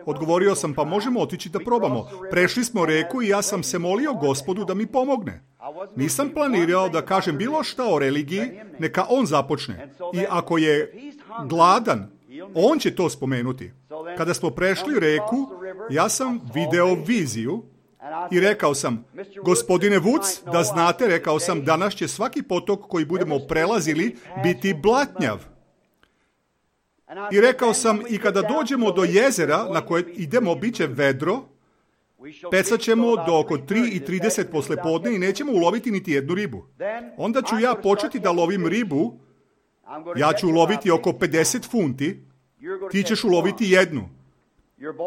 Odgovorio sam, pa možemo otići da probamo. Prešli smo reku i ja sam se molio Gospodu da mi pomogne. Nisam planirao da kažem bilo šta o religiji, neka on započne. I ako je gladan, on će to spomenuti. Kada smo prešli reku, ja sam video viziju i rekao sam, gospodine Woods, da znate, rekao sam, danas će svaki potok koji budemo prelazili biti blatnjav. I rekao sam, i kada dođemo do jezera na koje idemo, bit će vedro, pecat ćemo do oko 3:30 poslepodne i nećemo uloviti niti jednu ribu. Onda ću ja početi da lovim ribu, ja ću uloviti oko 50 funti, ti ćeš uloviti jednu.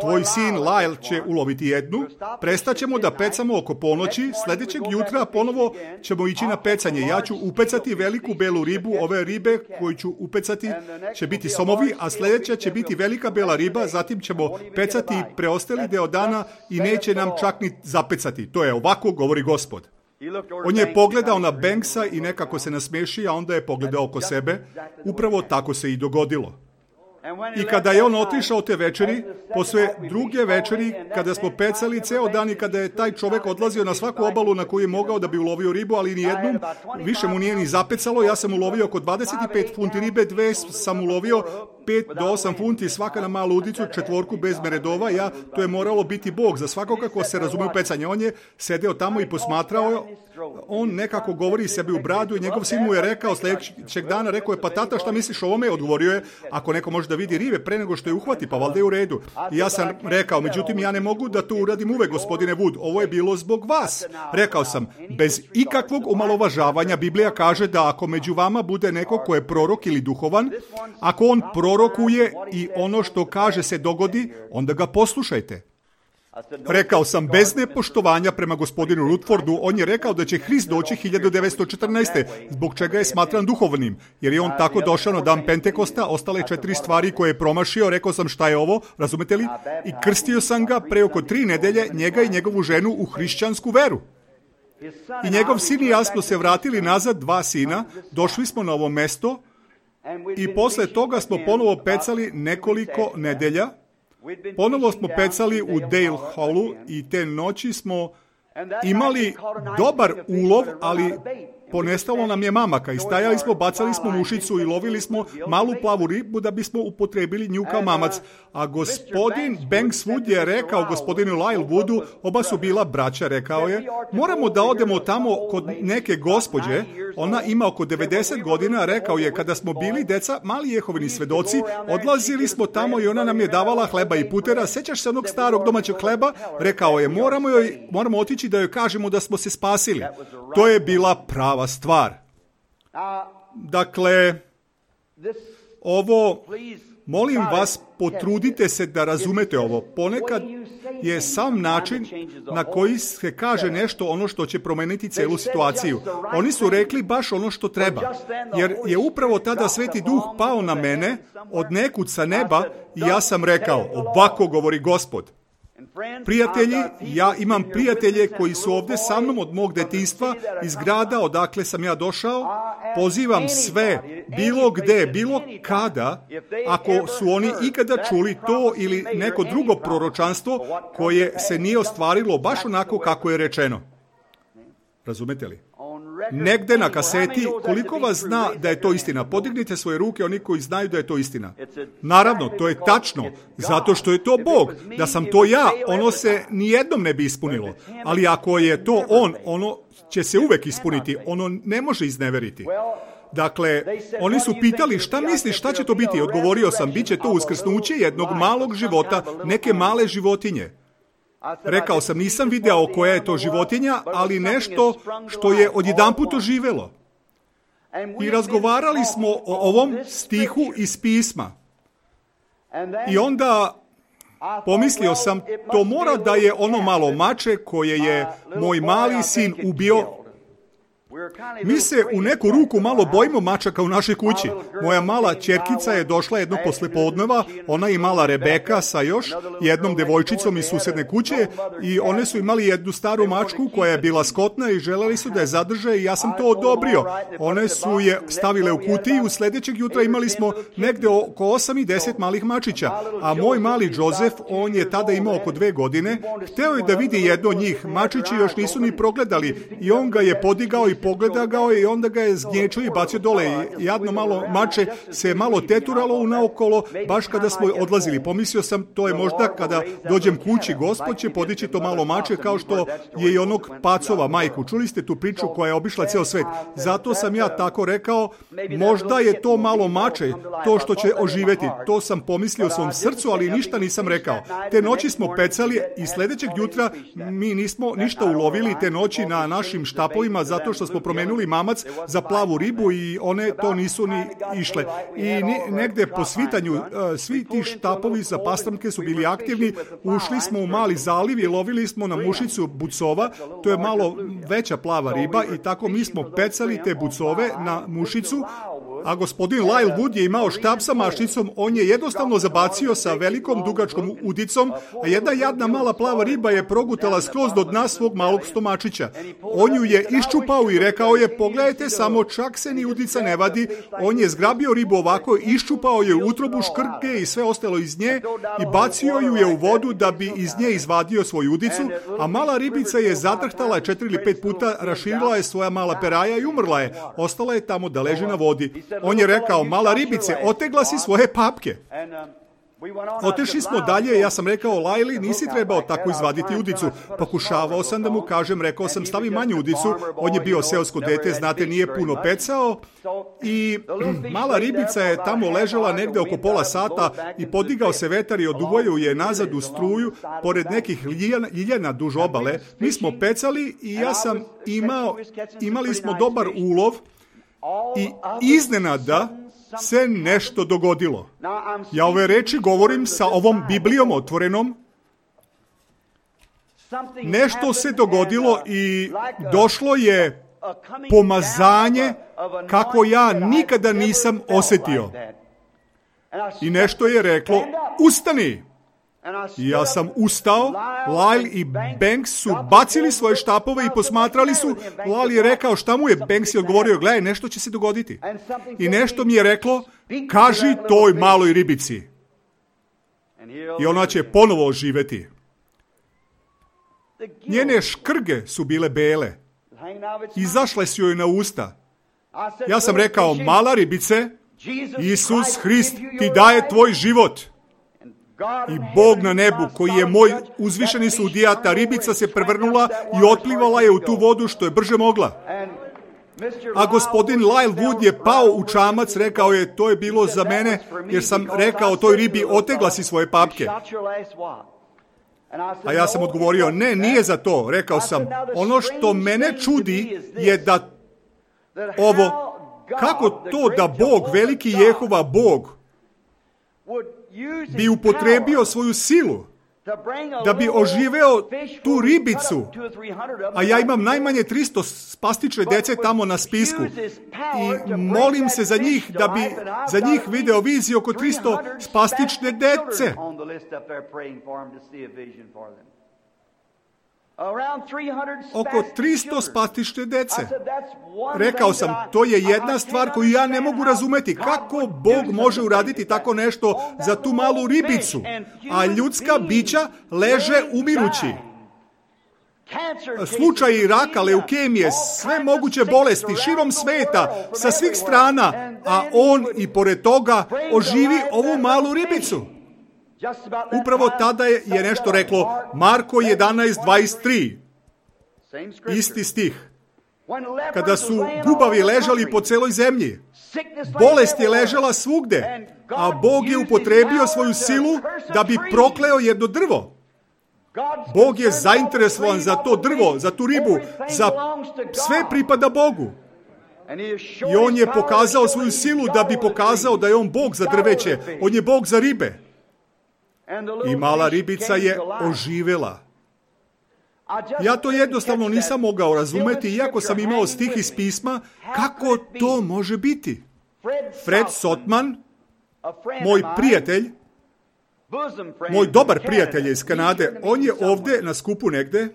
Tvoj sin Lyle će uloviti jednu, prestaćemo da pecamo oko ponoći, sljedećeg jutra ponovo ćemo ići na pecanje. Ja ću upecati veliku belu ribu, ove ribe koju ću upecati će biti somovi, a sljedeća će biti velika bela riba, zatim ćemo pecati preostali deo dana i neće nam čak ni zapecati. To je ovako, govori Gospod. On je pogledao na Banksa i nekako se nasmeši, a onda je pogledao oko sebe. Upravo tako se i dogodilo. I kada je on otišao te večeri, posle druge večeri, kada smo pecali ceo dan i kada je taj čovjek odlazio na svaku obalu na koju je mogao da bi ulovio ribu, ali nijednom više mu nije ni zapecalo, ja sam ulovio oko 25 funti ribe, 2 sam ulovio, 5 do 8 funti, svaka na malu udicu, 4 bez meredova, to je moralo biti Bog za svakoga ko se razume u pecanje. On je sedeo tamo i posmatrao, on nekako govori sebi u bradu i njegov sin mu je rekao sljedećeg dana, rekao je, pa tata, šta misliš o ovome? Odgovorio je, ako neko može da vidi ribe pre nego što je uhvati, pa valjda je u redu. I ja sam rekao, međutim, ja ne mogu da to uradim uvek, gospodine Wood, ovo je bilo zbog vas. Rekao sam, bez ikakvog omalovažavanja, Biblija kaže da ako među vama bude neko ko je prorok ili duhovan, ako on prorokuje i ono što kaže se dogodi, onda ga poslušajte. Rekao sam, bez nepoštovanja prema gospodinu Rutfordu, on je rekao da će Hrist doći 1914. Zbog čega je smatran duhovnim, jer je on tako došao na dan Pentekosta, ostale 4 stvari koje je promašio, rekao sam šta je ovo, razumete li? I krstio sam ga pre oko 3 nedelje, njega i njegovu ženu u hrišćansku veru. I njegov sin i ja smo se vratili nazad, 2 sina, došli smo na ovo mesto i posle toga smo ponovo pecali nekoliko nedelja. Ponovo smo pecali u Dale Hallu i te noći smo imali dobar ulov, ali ponestalo nam je mamaka i stajali smo, bacali smo mušicu i lovili smo malu plavu ribu da bismo upotrebili nju kao mamac. A gospodin Banks Wood je rekao gospodinu Lyle Woodu, oba su bila braća, rekao je, moramo da odemo tamo kod neke gospođe, ona ima oko 90 godina, rekao je, kada smo bili deca, mali Jehovini svedoci, odlazili smo tamo i ona nam je davala hleba i putera, sećaš se onog starog domaćeg hleba? Rekao je, moramo otići da joj kažemo da smo se spasili. To je bila prava stvar. Dakle, ovo, molim vas, potrudite se da razumete ovo. Ponekad je sam način na koji se kaže nešto ono što će promeniti celu situaciju. Oni su rekli baš ono što treba, jer je upravo tada Sveti Duh pao na mene od nekud sa neba i ja sam rekao, ovako govori Gospod. Prijatelji, ja imam prijatelje koji su ovdje sa mnom od mog detinjstva, iz grada odakle sam ja došao. Pozivam sve, bilo gde, bilo kada, ako su oni ikada čuli to ili neko drugo proročanstvo koje se nije ostvarilo baš onako kako je rečeno. Razumete li? Negde na kaseti, koliko vas zna da je to istina? Podignite svoje ruke, oni koji znaju da je to istina. Naravno, to je tačno, zato što je to Bog. Da sam to ja, ono se nijednom ne bi ispunilo. Ali ako je to on, ono će se uvek ispuniti. Ono ne može izneveriti. Dakle, oni su pitali, šta misliš, šta će to biti? Odgovorio sam, bit će to uskrsnuće jednog malog života, neke male životinje. Rekao sam, nisam video koja je to životinja, ali nešto što je odjedanput oživelo. I razgovarali smo o ovom stihu iz pisma. I onda pomislio sam, to mora da je ono malo mače koje je moj mali sin ubio. Mi se u neku ruku malo bojimo mačaka u našoj kući. Moja mala ćerkica je došla jednog poslepodneva, ona je imala Rebeka sa još jednom devojčicom iz susedne kuće i one su imali jednu staru mačku koja je bila skotna i želeli su da je zadrže i ja sam to odobrio. One su je stavile u kutiju, sljedećeg jutra imali smo negde oko 8 i 10 malih mačića, a moj mali Joseph, on je tada imao oko 2 godine, hteo je da vidi jedno od njih, mačići još nisu ni progledali i on ga je podigao i pogleda ga i onda ga je zgnječio i bacio dole. Jadno malo mače se malo teturalo unaokolo, baš kada smo odlazili. Pomislio sam, to je možda kada dođem kući, Gospod će podići to malo mače kao što je i onog pacova majku. Čuli ste tu priču koja je obišla ceo svet. Zato sam ja tako rekao, možda je to malo mače, to što će oživeti. To sam pomislio u svom srcu, ali ništa nisam rekao. Te noći smo pecali i sljedećeg jutra mi nismo ništa ulovili te noći na našim štapovima zato što smo promenuli mamac za plavu ribu i one to nisu ni išle. I negde po svitanju svi ti štapovi za pastramke su bili aktivni. Ušli smo u mali zaliv i lovili smo na mušicu bucova. To je malo veća plava riba i tako mi smo pecali te bucove na mušicu. A gospodin Lyle Wood je imao štap sa mašnicom, on je jednostavno zabacio sa velikom dugačkom udicom, a jedna jadna mala plava riba je progutala skroz do dna svog malog stomačića. On ju je iščupao i rekao je, pogledajte samo, čak se ni udica ne vadi. On je zgrabio ribu ovako, iščupao je utrobu, škrke i sve ostalo iz nje i bacio ju je u vodu da bi iz nje izvadio svoju udicu, a mala ribica je zatrhtala 4 ili 5 puta, raširila je svoja mala peraja i umrla je. Ostala je tamo da leži na vodi. On je rekao, mala ribice, otegla si svoje papke. Otešli smo dalje, ja sam rekao, Lajli, nisi trebao tako izvaditi udicu. Pokušavao sam da mu kažem, rekao sam, stavi manju udicu. On je bio seosko dete, znate, nije puno pecao. I mala ribica je tamo ležala negde oko pola sata i podigao se vetar i oduvojio je nazad u struju pored nekih ljiljana duž obale. Mi smo pecali i ja sam imali smo dobar ulov i iznenada se nešto dogodilo. Ja ove reči govorim sa ovom Biblijom otvorenom. Nešto se dogodilo i došlo je pomazanje kako ja nikada nisam osjetio. I nešto je reklo, ustani! I ja sam ustao, Lyle i Banks su bacili svoje štapove i posmatrali su. Lyle je rekao šta mu je, Banks je odgovorio, gledaj, nešto će se dogoditi. I nešto mi je reklo, kaži toj maloj ribici. I ona će ponovo oživeti. Njene škrge su bile bele. Izašle su joj na usta. Ja sam rekao, mala ribice, Isus Hrist ti daje tvoj život. I Bog na nebu, koji je moj uzvišeni sudija, ta ribica se prevrnula i otplivala je u tu vodu što je brže mogla. A gospodin Lyle Wood je pao u čamac, rekao je, to je bilo za mene, jer sam rekao toj ribi, otegla si svoje papke. A ja sam odgovorio, ne, nije za to. Rekao sam, ono što mene čudi je da ovo, kako to da Bog, veliki Jehova Bog, bi upotrebio svoju silu da bi oživeo tu ribicu, a ja imam najmanje 300 spastične dece tamo na spisku i molim se za njih da bi za njih video viziju oko 300 spastične dece. Oko 300 spastične dece. Rekao sam, to je jedna stvar koju ja ne mogu razumeti. Kako Bog može uraditi tako nešto za tu malu ribicu, a ljudska bića leže umirući? Slučaji raka, leukemije, sve moguće bolesti širom sveta, sa svih strana, a on i pored toga oživi ovu malu ribicu. Upravo tada je nešto reklo Marko 11:23. Isti stih. Kada su gubavi ležali po celoj zemlji, bolest je ležala svugde, a Bog je upotrebio svoju silu da bi prokleo jedno drvo. Bog je zainteresovan za to drvo, za tu ribu, za sve pripada Bogu. I on je pokazao svoju silu da bi pokazao da je on Bog za drveće, on je Bog za ribe. I mala ribica je oživela. Ja to jednostavno nisam mogao razumeti, iako sam imao stih iz pisma, kako to može biti. Fred Sotman, moj prijatelj, moj dobar prijatelj je iz Kanade, on je ovde na skupu negde.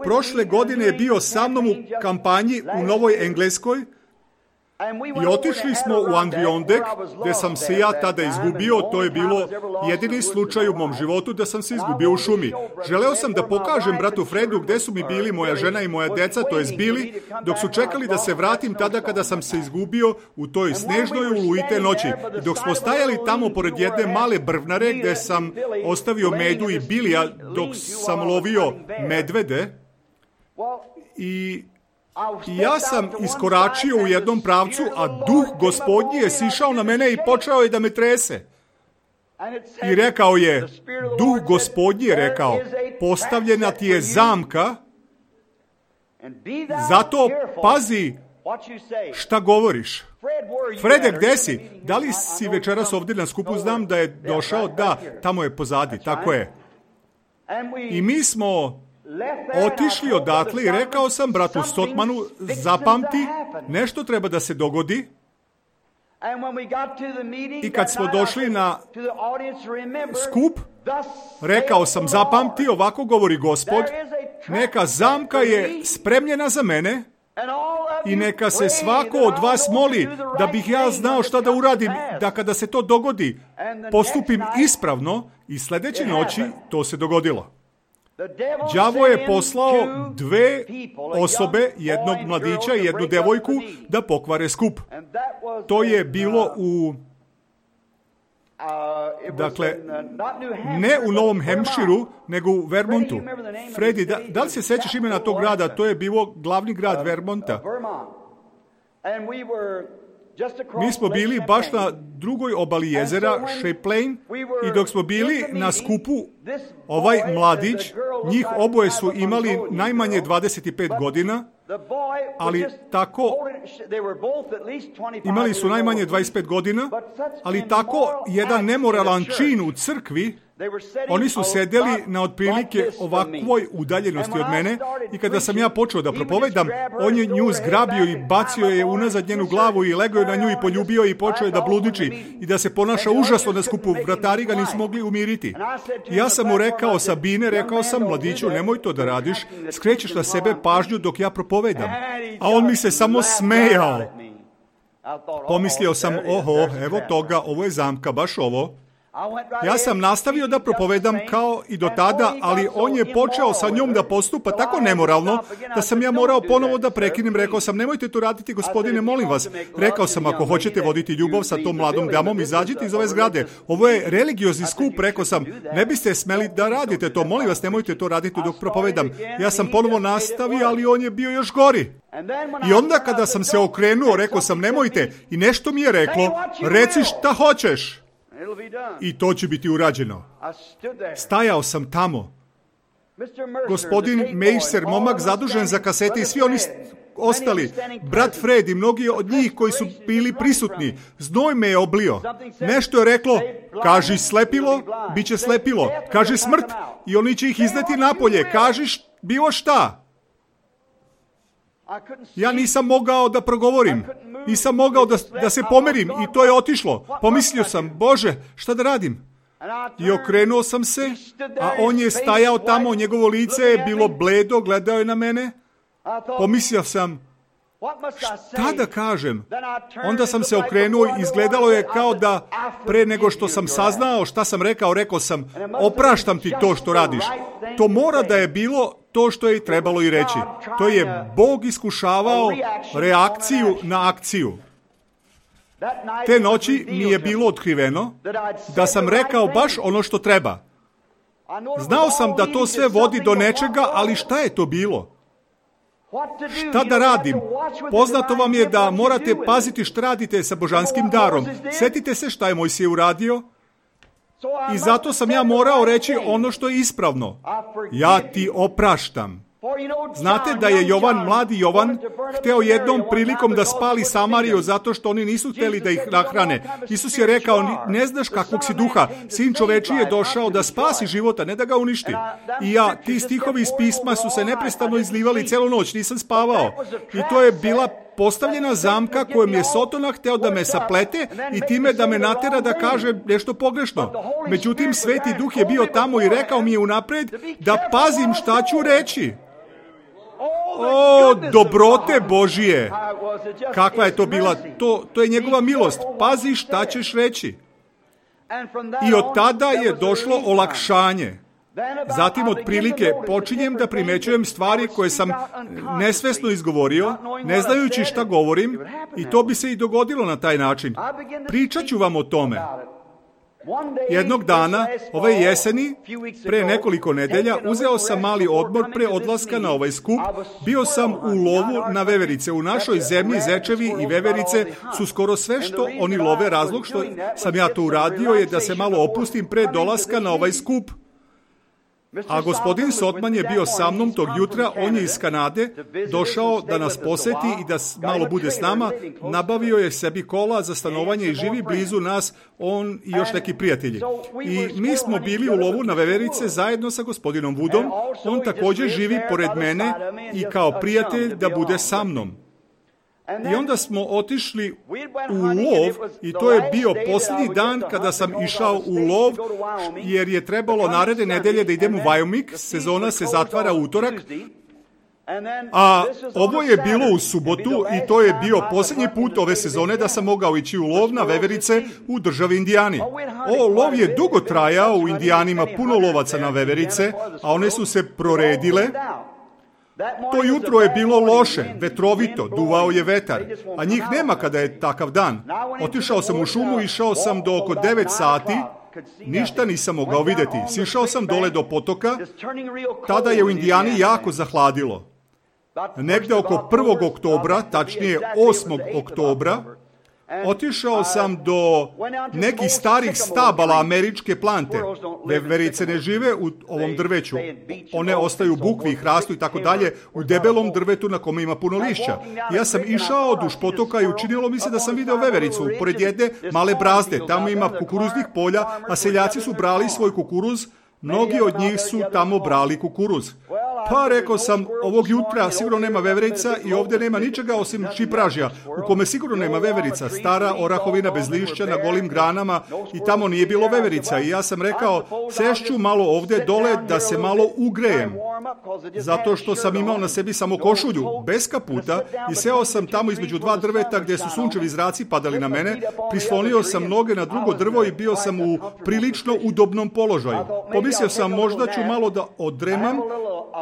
Prošle godine je bio sa mnom u kampanji u Novoj Engleskoj i otišli smo u Adirondak, gde sam se ja tada izgubio. To je bilo jedini slučaj u mom životu da sam se izgubio u šumi. Želeo sam da pokažem bratu Fredu gde su mi bili moja žena i moja deca, to jest bili, dok su čekali da se vratim tada kada sam se izgubio u toj snežnoj oluji te noći. I dok smo stajali tamo pored jedne male brvnare gde sam ostavio Medu i Bilija dok sam lovio medvede, i ja sam iskoračio u jednom pravcu, a duh Gospodnji je sišao na mene i počeo je da me trese. I rekao je, duh Gospodnji je rekao, postavljena ti je zamka, zato pazi šta govoriš. Frede, gde si? Da li si večeras ovdje na skupu? Znam da je došao. Da, tamo je pozadi, tako je. I mi smo otišli odatle i rekao sam bratu Sotmanu, zapamti, nešto treba da se dogodi. I kad smo došli na skup, rekao sam, zapamti, ovako govori Gospod, neka zamka je spremljena za mene i neka se svako od vas moli da bih ja znao šta da uradim, da kada se to dogodi, postupim ispravno, i sljedeće noći to se dogodilo. Đavo je poslao 2 osobe, jednog mladića i jednu devojku, da pokvare skup. To je bilo u... Dakle, ne u Novom Hampshireu, nego u Vermontu. Fredi, da li se sećaš imena tog grada? To je bilo glavni grad Vermonta. Mi smo bili baš na drugoj obali jezera, Champlain, i dok smo bili na skupu, ovaj mladić, njih oboje su imali najmanje 25 godina, ali tako, imali su najmanje 25 godina, ali tako jedan nemoralan čin u crkvi Oni su sedeli na otprilike ovakvoj udaljenosti od mene i kada sam ja počeo da propovedam, on je nju zgrabio i bacio je unazad njenu glavu i legao je na nju i poljubio i počeo je da bludiči i da se ponaša užasno na skupu. Vratari ga nisu mogli umiriti. Ja sam mu rekao, Sabine, rekao sam, mladiću, nemoj to da radiš, skrećeš na sebe pažnju dok ja propovedam. A on mi se samo smejao. Pomislio sam, oho, evo toga, ovo je zamka, baš ovo. Ja sam nastavio da propovedam kao i do tada, ali on je počeo sa njom da postupa tako nemoralno da sam ja morao ponovo da prekinem. Rekao sam, nemojte to raditi, gospodine, molim vas. Rekao sam, ako hoćete voditi ljubav sa tom mladom damom, izađite iz ove zgrade. Ovo je religiozni skup, rekao sam, ne biste smeli da radite to, molim vas, nemojte to raditi dok propovedam. Ja sam ponovo nastavio, ali on je bio još gori. I onda kada sam se okrenuo, rekao sam, nemojte, i nešto mi je reklo, reci šta hoćeš. I to će biti urađeno. Stajao sam tamo. Gospodin Mercer, momak zadužen za kasete i svi oni ostali, brat Fred i mnogi od njih koji su bili prisutni, znoj me je oblio. Nešto je reklo, kaži slepilo, bit će slepilo. Kaži smrt i oni će ih izneti napolje. Kažiš bilo šta. Ja nisam mogao da progovorim. Nisam mogao da se pomerim i to je otišlo. Pomislio sam, Bože, šta da radim? I okrenuo sam se, a on je stajao tamo, njegovo lice je bilo bledo, gledao je na mene. Pomislio sam, šta da kažem? Onda sam se okrenuo i izgledalo je kao da pre nego što sam saznao šta sam rekao sam, opraštam ti to što radiš. To mora da je bilo to što je i trebalo i reći. To je Bog iskušavao reakciju na akciju. Te noći mi je bilo otkriveno da sam rekao baš ono što treba. Znao sam da to sve vodi do nečega, ali šta je to bilo? Šta da radim? Poznato vam je da morate paziti šta radite sa božanskim darom. Sjetite se šta je Mojsije uradio. I zato sam ja morao reći ono što je ispravno. Ja ti opraštam. Znate da je mladi Jovan, hteo jednom prilikom da spali Samariju zato što oni nisu hteli da ih nahrane. Isus je rekao, ne znaš kakvog si duha, sin čovečiji je došao da spasi života, ne da ga uništi. I ti stihovi iz pisma su se neprestano izlivali celu noć, nisam spavao. I to je bila postavljena zamka kojom je Sotona hteo da me saplete i time da me natera da kaže nešto pogrešno. Međutim, Sveti Duh je bio tamo i rekao mi je unapred da pazim šta ću reći. O, dobrote Božije! Kakva je to bila? To je njegova milost. Pazi šta ćeš reći. I od tada je došlo olakšanje. Zatim, otprilike, počinjem da primećujem stvari koje sam nesvesno izgovorio, ne znajući šta govorim, i to bi se i dogodilo na taj način. Pričat ću vam o tome. Jednog dana, ove jeseni, pre nekoliko nedelja, uzeo sam mali odmor pre odlaska na ovaj skup. Bio sam u lovu na veverice. U našoj zemlji zečevi i veverice su skoro sve što oni love. Razlog što sam ja to uradio je da se malo opustim pre dolaska na ovaj skup. A gospodin Sotman je bio sa mnom tog jutra, on je iz Kanade, došao da nas poseti i da malo bude s nama, nabavio je sebi kola za stanovanje i živi blizu nas, on i još neki prijatelji. I mi smo bili u lovu na veverice zajedno sa gospodinom Woodom, on također živi pored mene i kao prijatelj da bude sa mnom. I onda smo otišli u lov i to je bio posljednji dan kada sam išao u lov, jer je trebalo naredne nedelje da idem u Wyoming, sezona se zatvara u utorak, a ovo je bilo u subotu i to je bio posljednji put ove sezone da sam mogao ići u lov na veverice u državi Indijani. Lov je dugo trajao, u Indijani ima puno lovaca na veverice, a one su se proredile. To jutro je bilo loše, vetrovito, duvao je vetar, a njih nema kada je takav dan. Otišao sam u šumu, išao sam do oko 9 sati, ništa nisam mogao vidjeti. Sišao sam dole do potoka, tada je u Indijani jako zahladilo. Negde oko 1. oktobra, tačnije 8. oktobra, Otišao sam do nekih starih stabala američke plante. Veverice ne žive u ovom drveću. One ostaju u bukvi, hrastu i tako dalje u debelom drvetu na kome ima puno lišća. Ja sam išao duž potoka i učinilo mi se da sam video vevericu pored jedne male brazde. Tamo ima kukuruznih polja, a seljaci su brali svoj kukuruz. Mnogi od njih su tamo brali kukuruz. Pa rekao sam, ovog jutra sigurno nema veverica i ovdje nema ničega osim šipražja, u kome sigurno nema veverica, stara orahovina bez lišća na golim granama i tamo nije bilo veverica. I ja sam rekao, sešću malo ovdje dole da se malo ugrejem, zato što sam imao na sebi samo košulju, bez kaputa, i seo sam tamo između dva drveta gdje su sunčevi zraci padali na mene, prislonio sam noge na drugo drvo i bio sam u prilično udobnom položaju. Pomislio sam, možda ću malo da odremam.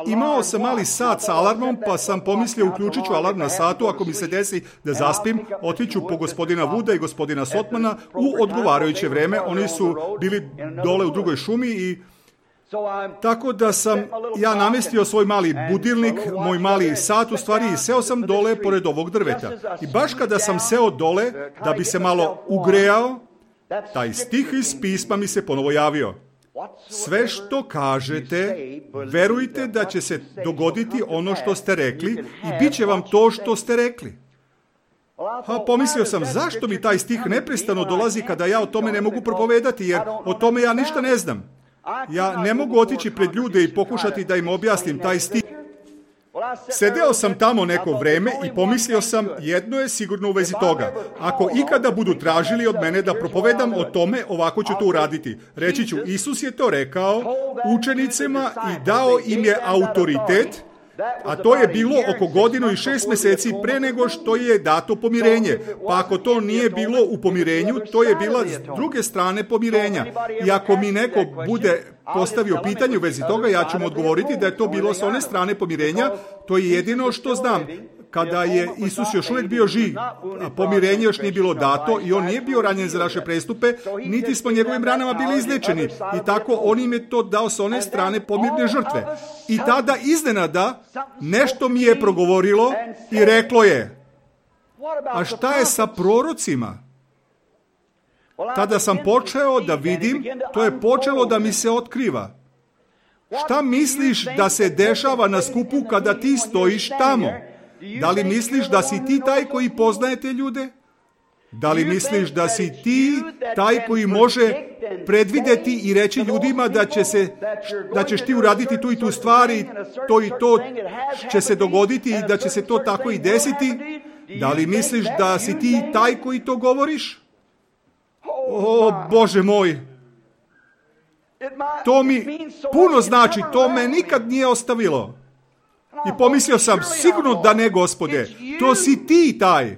Imao sam mali sat sa alarmom, pa sam pomislio, uključit ću alarm na satu, ako mi se desi da zaspim, otiću po gospodina Wooda i gospodina Sotmana u odgovarajuće vreme. Oni su bili dole u drugoj šumi i tako da sam ja namestio svoj mali budilnik, moj mali sat u stvari, i seo sam dole pored ovog drveta. I baš kada sam seo dole da bi se malo ugrejao, taj stih iz pisma mi se ponovo javio. Sve što kažete, verujte da će se dogoditi ono što ste rekli i bit će vam to što ste rekli. Pomislio sam, zašto mi taj stih neprestano dolazi kada ja o tome ne mogu propovedati, jer o tome ja ništa ne znam. Ja ne mogu otići pred ljude i pokušati da im objasnim taj stih. Sedeo sam tamo neko vreme i pomislio sam, jedno je sigurno u vezi toga. Ako ikada budu tražili od mene da propovedam o tome, ovako ću to uraditi. Reći ću, Isus je to rekao učenicima i dao im je autoritet, a to je bilo oko 1 godinu i 6 mjeseci pre nego što je dato pomirenje. Pa ako to nije bilo u pomirenju, to je bila s druge strane pomirenja. I ako mi neko bude postavio pitanje u vezi toga, ja ću mu odgovoriti da je to bilo s one strane pomirenja. To je jedino što znam. Kada je Isus još uvijek bio živ, pomirenje još nije bilo dato i on nije bio ranjen za naše prestupe, niti smo njegovim ranama bili izlečeni. I tako on im je to dao s one strane pomirne žrtve. I tada iznenada nešto mi je progovorilo i reklo je, a šta je sa prorocima? Tada sam počeo da vidim, to je počelo da mi se otkriva. Šta misliš da se dešava na skupu kada ti stojiš tamo? Da li misliš da si ti taj koji poznaje te ljude? Da li misliš da si ti taj koji može predvidjeti i reći ljudima da ćeš ti uraditi tu i tu stvari, to i to će se dogoditi i da će se to tako i desiti? Da li misliš da si ti taj koji to govoriš? O, Bože moj! To mi puno znači, to me nikad nije ostavilo. I pomislio sam, sigurno da ne, Gospode, to si ti taj.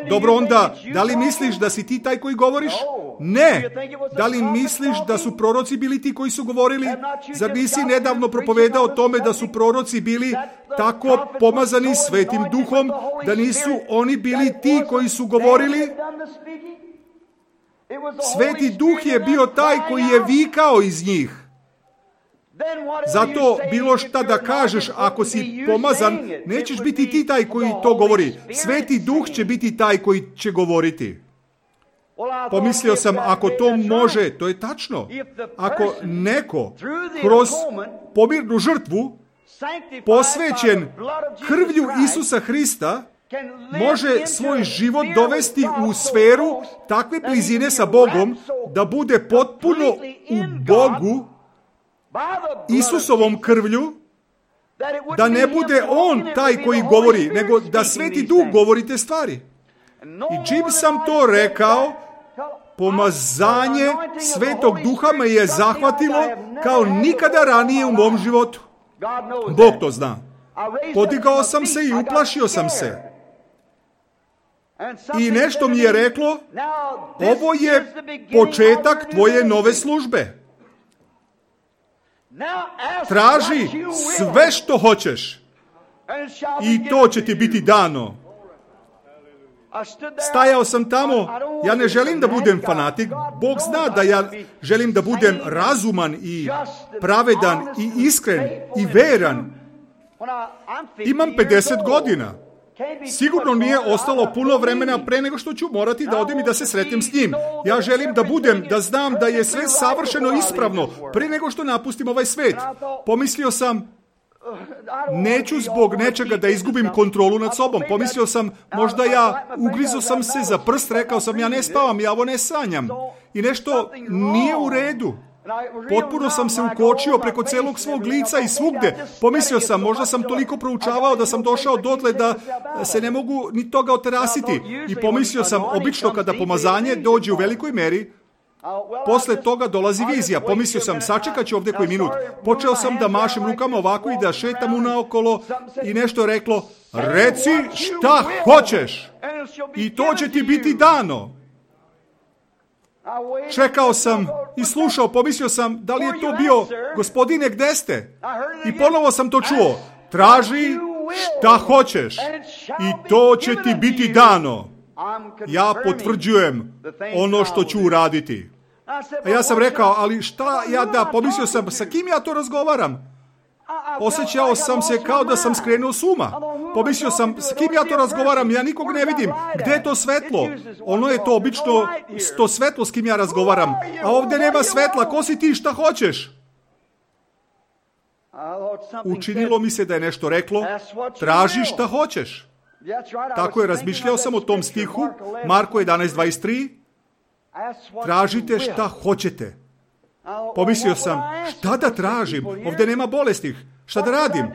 Dobro, onda, da li misliš da si ti taj koji govoriš? Ne. Da li misliš da su proroci bili ti koji su govorili? Zar nisi nedavno propovedao o tome da su proroci bili tako pomazani Svetim Duhom, da nisu oni bili ti koji su govorili? Sveti Duh je bio taj koji je vikao iz njih. Zato bilo šta da kažeš, ako si pomazan, nećeš biti ti taj koji to govori. Sveti Duh će biti taj koji će govoriti. Pomislio sam, ako to može, to je tačno. Ako neko kroz pomirnu žrtvu, posvećen krvlju Isusa Hrista, može svoj život dovesti u sferu takve blizine sa Bogom, da bude potpuno u Bogu, Isusovom krvlju, da ne bude on taj koji govori, nego da Sveti Duh govori te stvari. I čim sam to rekao, pomazanje Svetog Duha me je zahvatilo kao nikada ranije u mom životu. Bog to zna. Podigao sam se i uplašio sam se. I nešto mi je reklo, ovo je početak tvoje nove službe. Traži sve što hoćeš i to će ti biti dano. Stajao sam tamo, ja ne želim da budem fanatik, Bog zna da ja želim da budem razuman i pravedan i iskren i veran. Imam 50 godina. Sigurno nije ostalo puno vremena pre nego što ću morati da odem i da se sretnem s njim. Ja želim da znam da je sve savršeno ispravno pre nego što napustim ovaj svet. Pomislio sam, neću zbog nečega da izgubim kontrolu nad sobom. Pomislio sam, možda ugrizo sam se za prst, rekao sam, ja ne spavam, ja ovo ne sanjam. I nešto nije u redu. Potpuno sam se ukočio preko celog svog lica i svugde. Pomislio sam, možda sam toliko proučavao da sam došao dotle da se ne mogu ni toga oterasiti. I pomislio sam, obično kada pomazanje dođe u velikoj meri, posle toga dolazi vizija. Pomislio sam, sačekat ću ovdje koji minut. Počeo sam da mašem rukama ovako i da šetam unaokolo i nešto reklo, reci šta hoćeš i to će ti biti dano. Čekao sam i slušao, pomislio sam, da li je to bio, gospodine, gde ste? I ponovo sam to čuo, traži šta hoćeš i to će ti biti dano. Ja potvrđujem ono što ću uraditi. A ja sam rekao, ali šta pomislio sam, sa kim ja to razgovaram? Osjećao sam se kao da sam skrenuo s uma. Pomislio sam, s kim ja to razgovaram, ja nikog ne vidim. Gde je to svetlo? Ono je to obično to svetlo s kim ja razgovaram. A ovdje nema svetla, ko si ti, šta hoćeš? Učinilo mi se da je nešto reklo, traži šta hoćeš. Tako je, razmišljao sam o tom stihu, Marko 11:23, tražite šta hoćete. Pomislio sam, šta da tražim? Ovdje nema bolestih. Šta da radim?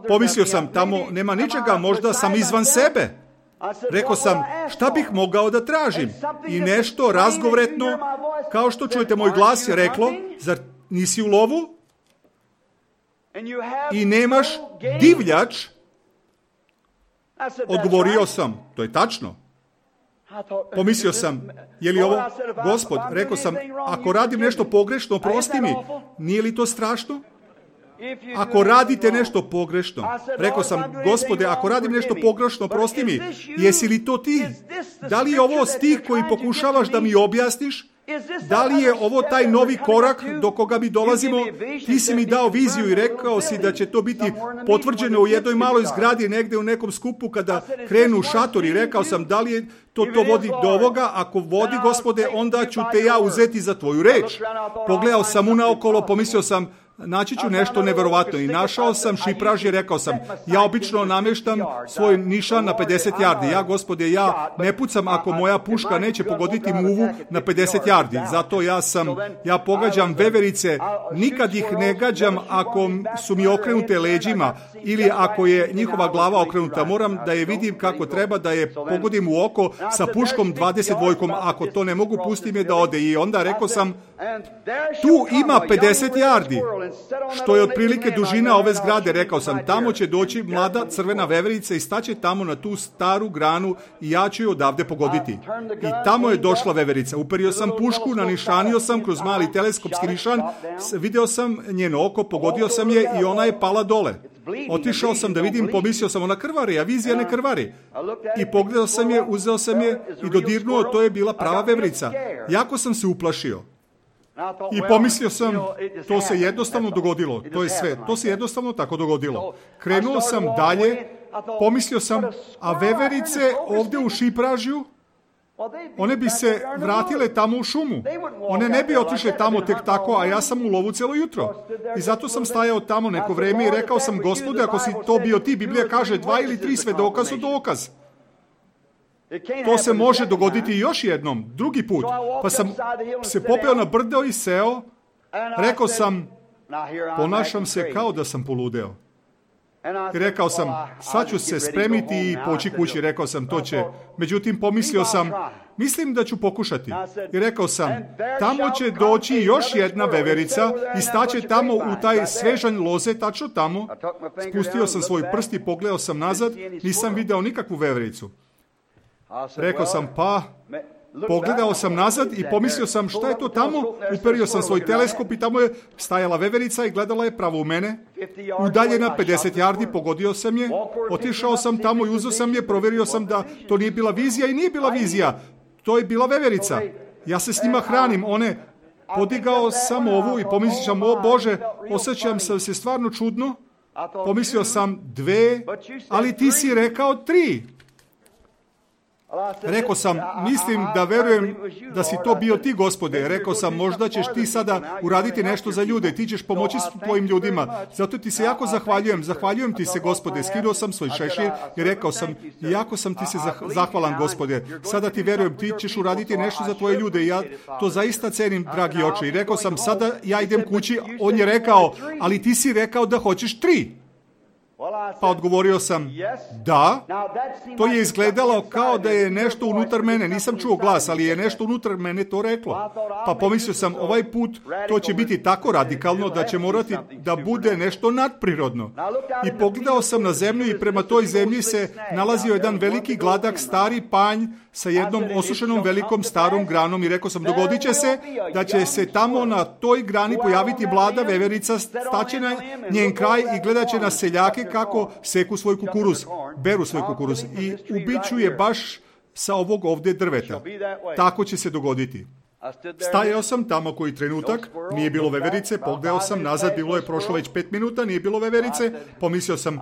Pomislio sam, tamo nema ničega, možda sam izvan sebe. Rekao sam, šta bih mogao da tražim? I nešto razgovoretno, kao što čujete moj glas, je reklo, zar nisi u lovu? I nemaš divljač? Odgovorio sam, to je tačno. Pomislio sam, je li ovo, Gospod, rekao sam, ako radim nešto pogrešno, oprosti mi, nije li to strašno? Ako radite nešto pogrešno, rekao sam, Gospode, ako radim nešto pogrešno, oprosti mi, jesi li to ti? Da li je ovo stih koji pokušavaš da mi objasniš? Da li je ovo taj novi korak do koga mi dolazimo? Ti si mi dao viziju i rekao si da će to biti potvrđeno u jednoj maloj zgradi negdje u nekom skupu kada krenu šatori. Rekao sam, da li je to vodi do ovoga? Ako vodi, Gospode, onda ću te ja uzeti za tvoju reč. Pogledao sam unaokolo, pomislio sam, naći ću nešto neverovatno i našao sam šipraž i rekao sam, ja obično namještam svoj nišan na 50 yardi. Ja, Gospode, ja ne pucam ako moja puška neće pogoditi muvu na 50 yardi. Zato ja pogađam veverice, nikad ih ne gađam ako su mi okrenute leđima ili ako je njihova glava okrenuta. Moram da je vidim kako treba, da je pogodim u oko sa puškom 22. Ako to ne mogu, pustim je da ode. I onda rekao sam, tu ima 50 yardi. Što je otprilike dužina ove zgrade. Rekao sam, tamo će doći mlada crvena veverica i staće tamo na tu staru granu i ja ću je odavde pogoditi. I tamo je došla veverica. Uperio sam pušku, nanišanio sam kroz mali teleskopski nišan, video sam njeno oko, pogodio sam je i ona je pala dole. Otišao sam da vidim, pomislio sam, ona krvari, a vizija ne krvari. I pogledao sam je, uzeo sam je i dodirnuo, to je bila prava veverica. Jako sam se uplašio. I pomislio sam, to se jednostavno dogodilo. To je sve. To se jednostavno tako dogodilo. Krenuo sam dalje, pomislio sam, a veverice ovdje u šipražju, one bi se vratile tamo u šumu. One ne bi otišle tamo tek tako, a ja sam u lovu celo jutro. I zato sam stajao tamo neko vreme i rekao sam, Gospode, ako si to bio ti, Biblija kaže 2 ili 3 svedoka su dokaz. To se može dogoditi još jednom, drugi put. Pa sam se popeo na brdo i seo. Rekao sam, ponašam se kao da sam poludeo. I rekao sam, sad ću se spremiti i poći kući. Rekao sam, to će. Međutim, pomislio sam, mislim da ću pokušati. I rekao sam, tamo će doći još jedna veverica i staće tamo u taj svežanj loze, tačno tamo. Spustio sam svoj prst i pogledao sam nazad, nisam video nikakvu vevericu. Rekao sam, pogledao sam nazad i pomislio sam, šta je to tamo? Uperio sam svoj teleskop i tamo je stajala veverica i gledala je pravo u mene. Udaljena 50 yardi, pogodio sam je, otišao sam tamo i uzeo sam je, provjerio sam da to nije bila vizija i nije bila vizija. To je bila veverica. Ja se s njima hranim, podigao sam ovu i pomislio sam, o Bože, osjećam se stvarno čudno. Pomislio sam 2, ali ti si rekao 3. Rekao sam, mislim da verujem da si to bio ti, Gospode. Rekao sam, možda ćeš ti sada uraditi nešto za ljude, ti ćeš pomoći tvojim ljudima. Zato ti se jako zahvaljujem. Zahvaljujem ti se, Gospode. Skinuo sam svoj šešir i rekao sam, jako sam ti se zahvalan, Gospode. Sada ti verujem, ti ćeš uraditi nešto za tvoje ljude i ja to zaista cenim, dragi oče. I rekao sam, sada ja idem kući. On je rekao, ali ti si rekao da hoćeš 3. Pa odgovorio sam, da. To je izgledalo kao da je nešto unutar mene. Nisam čuo glas, ali je nešto unutar mene to reklo. Pa pomislio sam, ovaj put to će biti tako radikalno da će morati da bude nešto nadprirodno. I pogledao sam na zemlju i prema toj zemlji se nalazio jedan veliki gladak stari panj sa jednom osušenom velikom starom granom i rekao sam, dogodit će se da će se tamo na toj grani pojaviti mlada veverica, staće na njen kraj i gledat će na seljake kako seku svoj kukuruz, beru svoj kukuruz i ubiću je baš sa ovog ovdje drveta. Tako će se dogoditi. Stajao sam tamo koji trenutak, nije bilo veverice, pogledao sam nazad, bilo je prošlo već 5 minuta, nije bilo veverice, pomislio sam,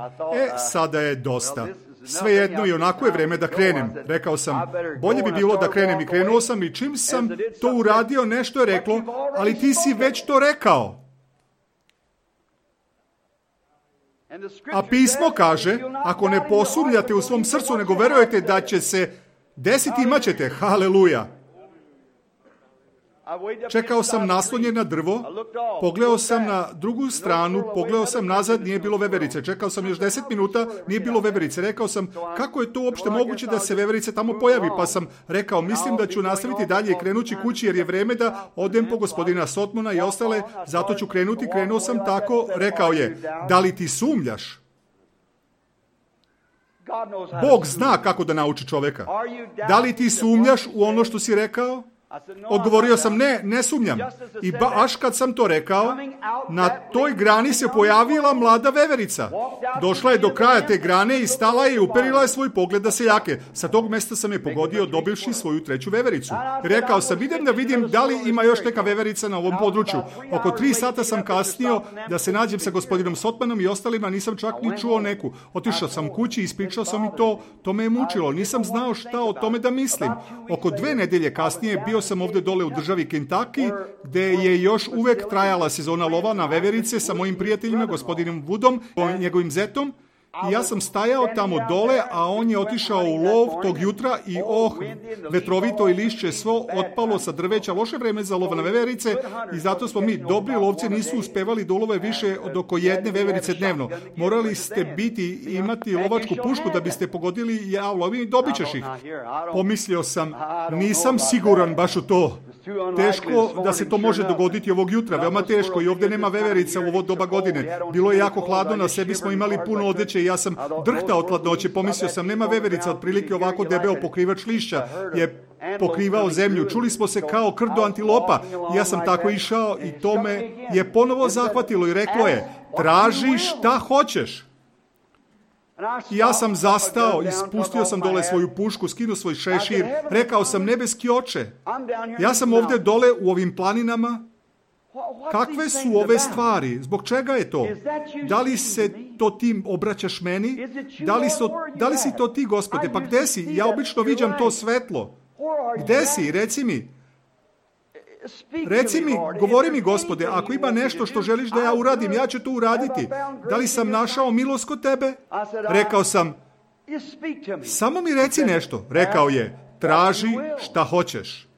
sada je dosta. Svejedno i onako je vreme da krenem. Rekao sam, bolje bi bilo da krenem i krenuo sam i čim sam to uradio, nešto je reklo, ali ti si već to rekao. A pismo kaže, ako ne posumnjate u svom srcu, nego verujete da će se desiti, imat ćete. Haleluja. Čekao sam naslonjen na drvo, pogledao sam na drugu stranu, pogledao sam nazad, nije bilo veverice. Čekao sam još 10 minuta, nije bilo veverice. Rekao sam, kako je to uopšte moguće da se veverice tamo pojavi? Pa sam rekao, mislim da ću nastaviti dalje i krenući kući jer je vreme da odem po gospodina Sotmona i ostale, zato ću krenuti. Krenuo sam tako, rekao je, da li ti sumnjaš? Bog zna kako da nauči čoveka. Da li ti sumnjaš u ono što si rekao? Odgovorio sam, ne sumnjam. I baš kad sam to rekao, na toj grani se pojavila mlada veverica. Došla je do kraja te grane i stala je i uperila je svoj pogled na seljake. Sa tog mesta sam je pogodio dobivši svoju 3. vevericu. Rekao sam, idem da vidim da li ima još neka veverica na ovom području. Oko 3 sata sam kasnio da se nađem sa gospodinom Sotmanom i ostalima, nisam čak ni čuo neku. Otišao sam kući i ispričao sam i to me je mučilo. Nisam znao šta o tome da mislim. Oko 2 nedelje kasnije bio sam ovdje dole u državi Kentucky, gdje je još uvek trajala sezona lova na veverice sa mojim prijateljima, gospodinom Woodom, njegovim zetom. I ja sam stajao tamo dole, a on je otišao u lov tog jutra i vetrovito i lišće svo otpalo sa drveća, loše vreme za lov na veverice i zato smo mi, dobri lovci, nisu uspevali da ulove više od oko 1 veverice dnevno. Morali ste imati lovačku pušku da biste pogodili, ja lovim i dobit ćeš ih. Pomislio sam, nisam siguran baš u to. Teško da se to može dogoditi ovog jutra, veoma teško i ovdje nema veverica u ovo doba godine. Bilo je jako hladno, na sebi smo imali puno odeće i ja sam drhtao od hladnoće. Pomislio sam, nema veverica, otprilike ovako debeo pokrivač lišća je pokrivao zemlju. Čuli smo se kao krdo antilopa. Ja sam tako išao i to me je ponovo zahvatilo i reklo je, traži šta hoćeš. I ja sam zastao i spustio sam dole svoju pušku, skinuo svoj šešir, rekao sam, nebeski oče, ja sam ovdje dole u ovim planinama, kakve su ove stvari, zbog čega je to? Da li se to ti obraćaš meni? Da li si to ti, Gospode? Pa gde si? Ja obično viđam to svetlo. Gde si? Reci mi, govori mi, Gospode, ako ima nešto što želiš da ja uradim, ja ću to uraditi. Da li sam našao milost kod tebe? Rekao sam, samo mi reci nešto. Rekao je, traži šta hoćeš.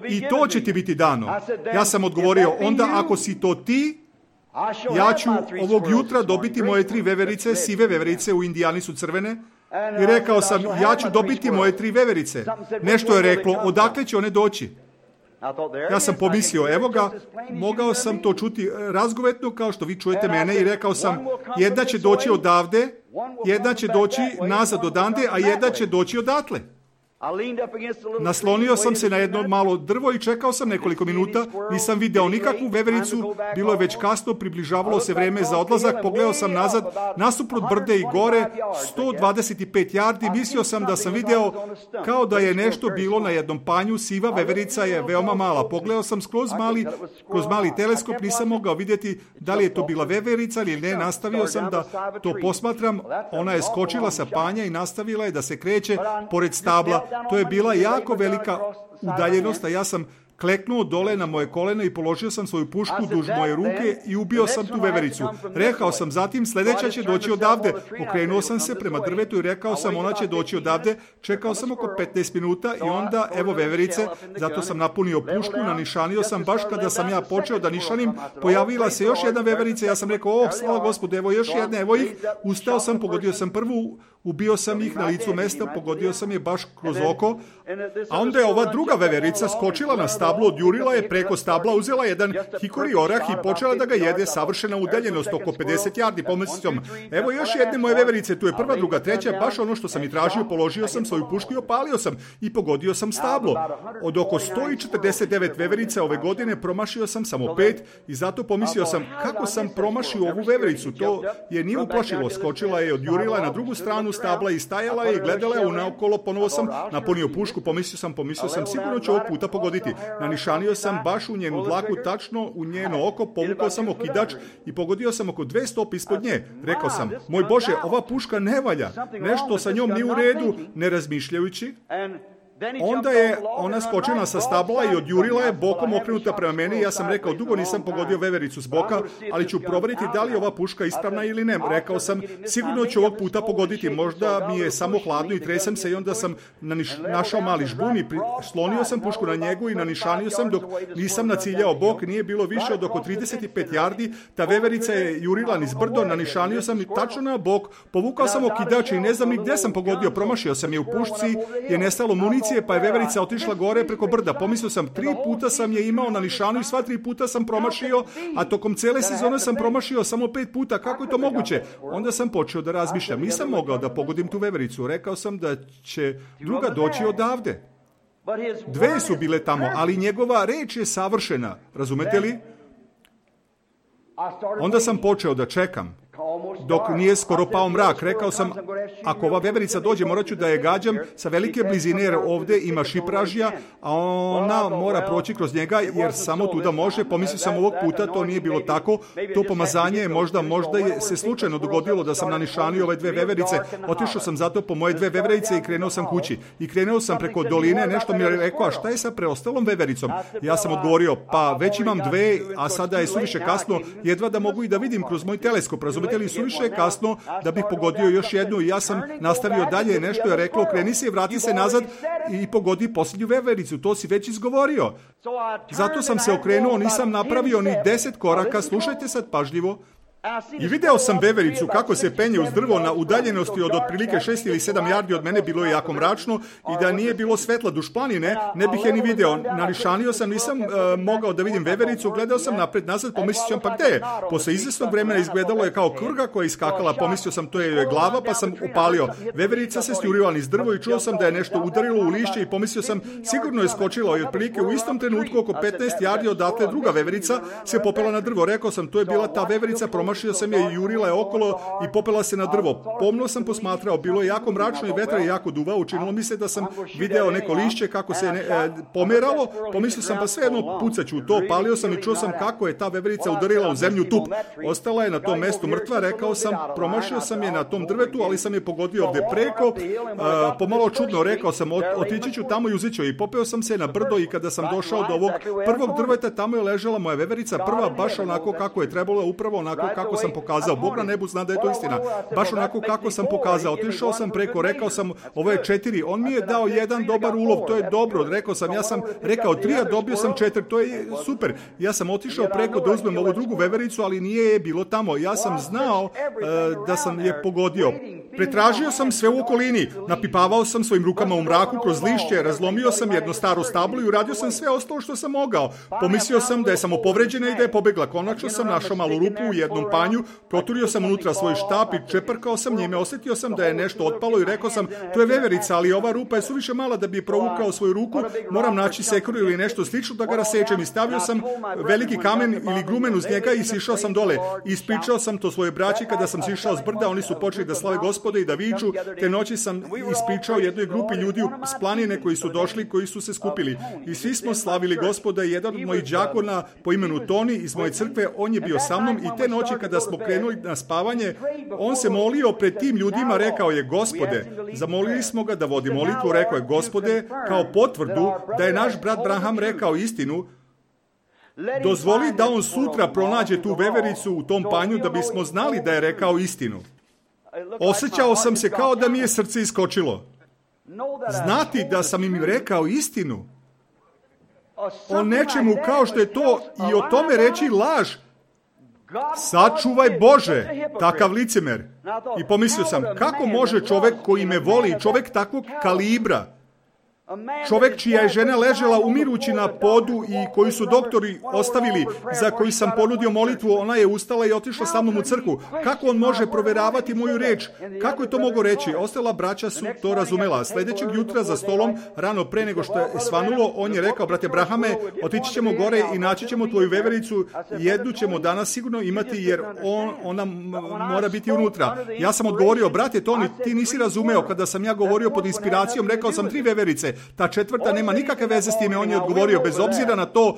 I to će ti biti dano. Ja sam odgovorio, onda ako si to ti, ja ću ovog jutra dobiti moje 3 veverice, sive veverice, u Indijani su crvene. I rekao sam, ja ću dobiti moje 3 veverice. Nešto je reklo, odakle će one doći? Ja sam pomislio, evo ga, mogao sam to čuti razgovetno kao što vi čujete mene i rekao sam, jedna će doći odavde, jedna će doći nazad odande, a jedna će doći odatle. Naslonio sam se na jedno malo drvo i čekao sam nekoliko minuta, nisam video nikakvu vevericu, bilo je već kasno, približavalo se vreme za odlazak, pogledao sam nazad, nasuprot brde i gore, 125 jardi, mislio sam da sam video kao da je nešto bilo na jednom panju, siva veverica je veoma mala, pogledao sam kroz mali teleskop, nisam mogao vidjeti da li je to bila veverica ili ne, nastavio sam da to posmatram, ona je skočila sa panja i nastavila je da se kreće pored stabla. To je bila jako velika udaljenost, a ja sam kleknuo dole na moje koleno i položio sam svoju pušku duž moje ruke i ubio sam tu vevericu. Rekao sam zatim, sljedeća će doći odavde. Okrenuo sam se prema drvetu i rekao sam, ona će doći odavde. Čekao sam oko 15 minuta i onda, evo veverice, zato sam napunio pušku, nanišanio sam baš kada sam ja počeo da nišanim, pojavila se još jedna veverica, ja sam rekao, slava Gospodu, evo još jedna, evo ih, ustao sam, pogodio sam prvu, ubio sam ih na licu mesta, pogodio sam je baš kroz oko, a onda je ova druga veverica skočila na stablo, odjurila je preko stabla, uzela jedan hikori orah i počela da ga jede, savršena udaljenost, oko 50 jardi, pomislio sam, evo još jedne moje veverice, tu je prva, druga, treća, baš ono što sam i tražio, položio sam svoju pušku i opalio sam i pogodio sam stablo. Od oko 149 veverica ove godine promašio sam samo 5 i zato pomislio sam, kako sam promašio ovu vevericu, to je nije uplašilo, skočila je, odjurila na drugu stranu stabla i stajala je i gledala je unaokolo, ponovo sam napunio pušku, pomislio sam, sigurno ću ovog puta pogoditi. Nanišanio sam baš u njenu dlaku, tačno u njeno oko, povukao sam okidač i pogodio sam oko 2 stope ispod nje. Rekao sam, moj Bože, ova puška ne valja, nešto sa njom nije u redu, ne razmišljajući. Onda je ona skočila sa stabla i odjurila je bokom okrenuta prema meni i ja sam rekao, dugo nisam pogodio vevericu s boka, ali ću provjeriti da li je ova puška ispravna ili ne. Rekao sam, sigurno ću ovog puta pogoditi, možda mi je samo hladno i tresam se i onda sam našao mali žbun i slonio sam pušku na njegu i nanišanio sam dok nisam naciljao bok, nije bilo više od oko 35 jardi, ta veverica je jurila niz brdo, nanišanio sam i tačno na bok, povukao sam okidač i ne znam ni gdje sam pogodio, promašio sam je u pušci, je nestalo municije, pa je veverica otišla gore preko brda. Pomislio sam, 3 puta sam je imao na nišanu i sva 3 puta sam promašio, a tokom cele sezone sam promašio samo 5 puta. Kako je to moguće? Onda sam počeo da razmišljam. Nisam mogao da pogodim tu vevericu. Rekao sam da će druga doći odavde. 2 su bile tamo, ali njegova reč je savršena. Razumete li? Onda sam počeo da čekam. Dok nije skoro pao mrak, rekao sam, ako ova veverica dođe, morat ću da je gađam sa velike blizine, jer ovdje ima šipražja, a ona mora proći kroz njega, jer samo tuda može. Pomislio sam, ovog puta to nije bilo tako. To pomazanje je možda je se slučajno dogodilo da sam nanišanio ove 2 veverice. Otišao sam zato po moje 2 veverice i krenuo sam kući. I krenuo sam preko doline, nešto mi je rekao, a šta je sa preostalom vevericom? Ja sam odgovorio, pa već imam 2, a sada je suviše kasno, jedva da mogu i da vidim kroz moj teleskop. Razumete li, suviše je kasno da bih pogodio još jednu i ja sam nastavio dalje, nešto je reklo, kreni se i vrati se nazad i pogodi posljednju vevericu, to si već izgovorio. Zato sam se okrenuo, nisam napravio ni 10 koraka, slušajte sad pažljivo. I video sam vevericu kako se penje uz drvo na udaljenosti od otprilike 6 ili 7 jardi od mene, bilo je jako mračno i da nije bilo svetla duž planine, ne bih je ni video. Nanišanio sam, nisam mogao da vidim vevericu, gledao sam napred nazad, pomislio sam, pa gde je? Posle izvesnog vremena izgledalo je kao krga koja je iskakala, pomislio sam, to je glava, pa sam upalio. Veverica se stjurila niz drvo i čuo sam da je nešto udarilo u lišće i pomislio sam, sigurno je skočila i otprilike u istom trenutku oko 15 jardi odatle druga veverica se popela na drvo. Rekao sam, to je bila ta veverica, promašio sam je i jurila je okolo i popela se na drvo. Pomno sam posmatrao, bilo je jako mračno i vetar je jako duvao, učinilo mi se da sam video neko lišće kako se pomeralo, pomislio sam, pa svejedno pucaću u to, palio sam i čuo sam kako je ta veverica udarila u zemlju tup. Ostala je na tom mestu mrtva, rekao sam, promašio sam je na tom drvetu, ali sam je pogodio ovdje preko, pomalo čudno, rekao sam, otići ću tamo i uzet ću je. I popeo sam se na brdo i kada sam došao do ovog prvog drveta, tamo je ležela moja veverica, prva baš onako kako je trebalo, upravo onako kako sam pokazao. Bog na nebu zna da je to istina. Baš onako kako sam pokazao. Otišao sam preko, rekao sam, ovo je 4. On mi je dao 1 dobar ulov, to je dobro. Rekao sam, ja sam rekao 3, a dobio sam 4. To je super. Ja sam otišao preko da uzmem ovu drugu vevericu, ali nije je bilo tamo. Ja sam znao da sam je pogodio. Pretražio sam sve u okolini. Napipavao sam svojim rukama u mraku kroz lišće, razlomio sam jedno staro stablo i uradio sam sve ostalo što sam mogao. Pomislio sam da je samo povređena i da je pobegla. Konačno sam našao malu rupu u jednom panju, proturio sam unutra svoj štap i čeprkao sam njime, osjetio sam da je nešto otpalo i rekao sam, to je veverica, ali ova rupa je suviše mala da bi je provukao svoju ruku, moram naći sekuru ili nešto slično da ga rasečem i stavio sam veliki kamen ili grumen uz njega i sišao sam dole. Ispričao sam to svoje braći kada sam sišao s brda, oni su počeli da slave Gospoda i da viču. Te noći sam ispričao jednoj grupi ljudi s planine koji su došli, koji su se skupili. I svi smo slavili Gospoda i jedan od mojih đakona po imenu Toni iz moje crkve, on je bio sa mnom i te noći kada smo krenuli na spavanje, on se molio pred tim ljudima, rekao je, Gospode, zamolili smo ga da vodi molitvu, rekao je, Gospode, kao potvrdu da je naš brat Branham rekao istinu, dozvoli da on sutra pronađe tu vevericu u tom panju da bismo znali da je rekao istinu. Osjećao sam se kao da mi je srce iskočilo. Znati da sam im rekao istinu o nečemu kao što je to i o tome reći laž. Sačuvaj Bože, takav licemer. I pomislio sam, kako može čovjek koji me voli, čovjek takvog kalibra, čovjek čija je žena ležela umirući na podu i koju su doktori ostavili, za koju sam ponudio molitvu, ona je ustala i otišla sa mnom u crkvu. Kako on može proveravati moju reč? Kako je to mogo reći? Ostala braća su to razumela. Sljedećeg jutra za stolom, rano pre nego što je svanulo, on je rekao, brate Brahame, otići ćemo gore i naći ćemo tvoju vevericu, jednu ćemo danas sigurno imati jer ona mora biti unutra. Ja sam odgovorio, brate Toni, ti nisi razumeo, kada sam ja govorio pod inspiracijom, rekao sam 3 veverice. Ta četvrta nema nikakve veze s time, on je odgovorio, bez obzira na to,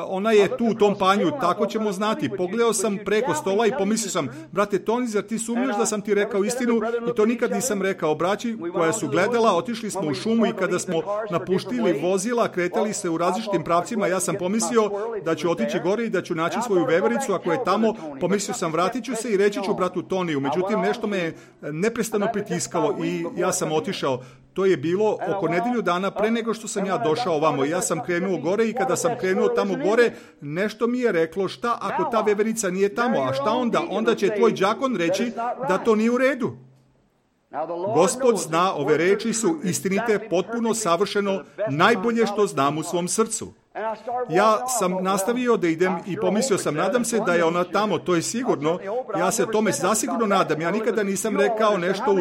ona je tu u tom panju, tako ćemo znati. Pogledao sam preko stola i pomislio sam, brate Toni, zar ti sumnjaš da sam ti rekao istinu? I to nikad nisam rekao. Braći koja su gledala, otišli smo u šumu i kada smo napuštili vozila, kretali se u različitim pravcima, ja sam pomislio da ću otići gore i da ću naći svoju vevericu, ako je tamo, pomislio sam, vratit ću se i reći ću bratu Toniju. Međutim, nešto me je neprestano pritiskalo i ja sam otišao. To je bilo oko nedjelju dana pre nego što sam ja došao ovamo. Ja sam krenuo gore i kada sam krenuo tamo gore, nešto mi je reklo, šta ako ta veverica nije tamo, a šta onda? Onda će tvoj đakon reći da to nije u redu. Gospod zna, ove reči su istinite, potpuno, savršeno, najbolje što znam u svom srcu. Ja sam nastavio da idem i pomislio sam, nadam se da je ona tamo, to je sigurno, ja se tome zasigurno nadam, ja nikada nisam rekao nešto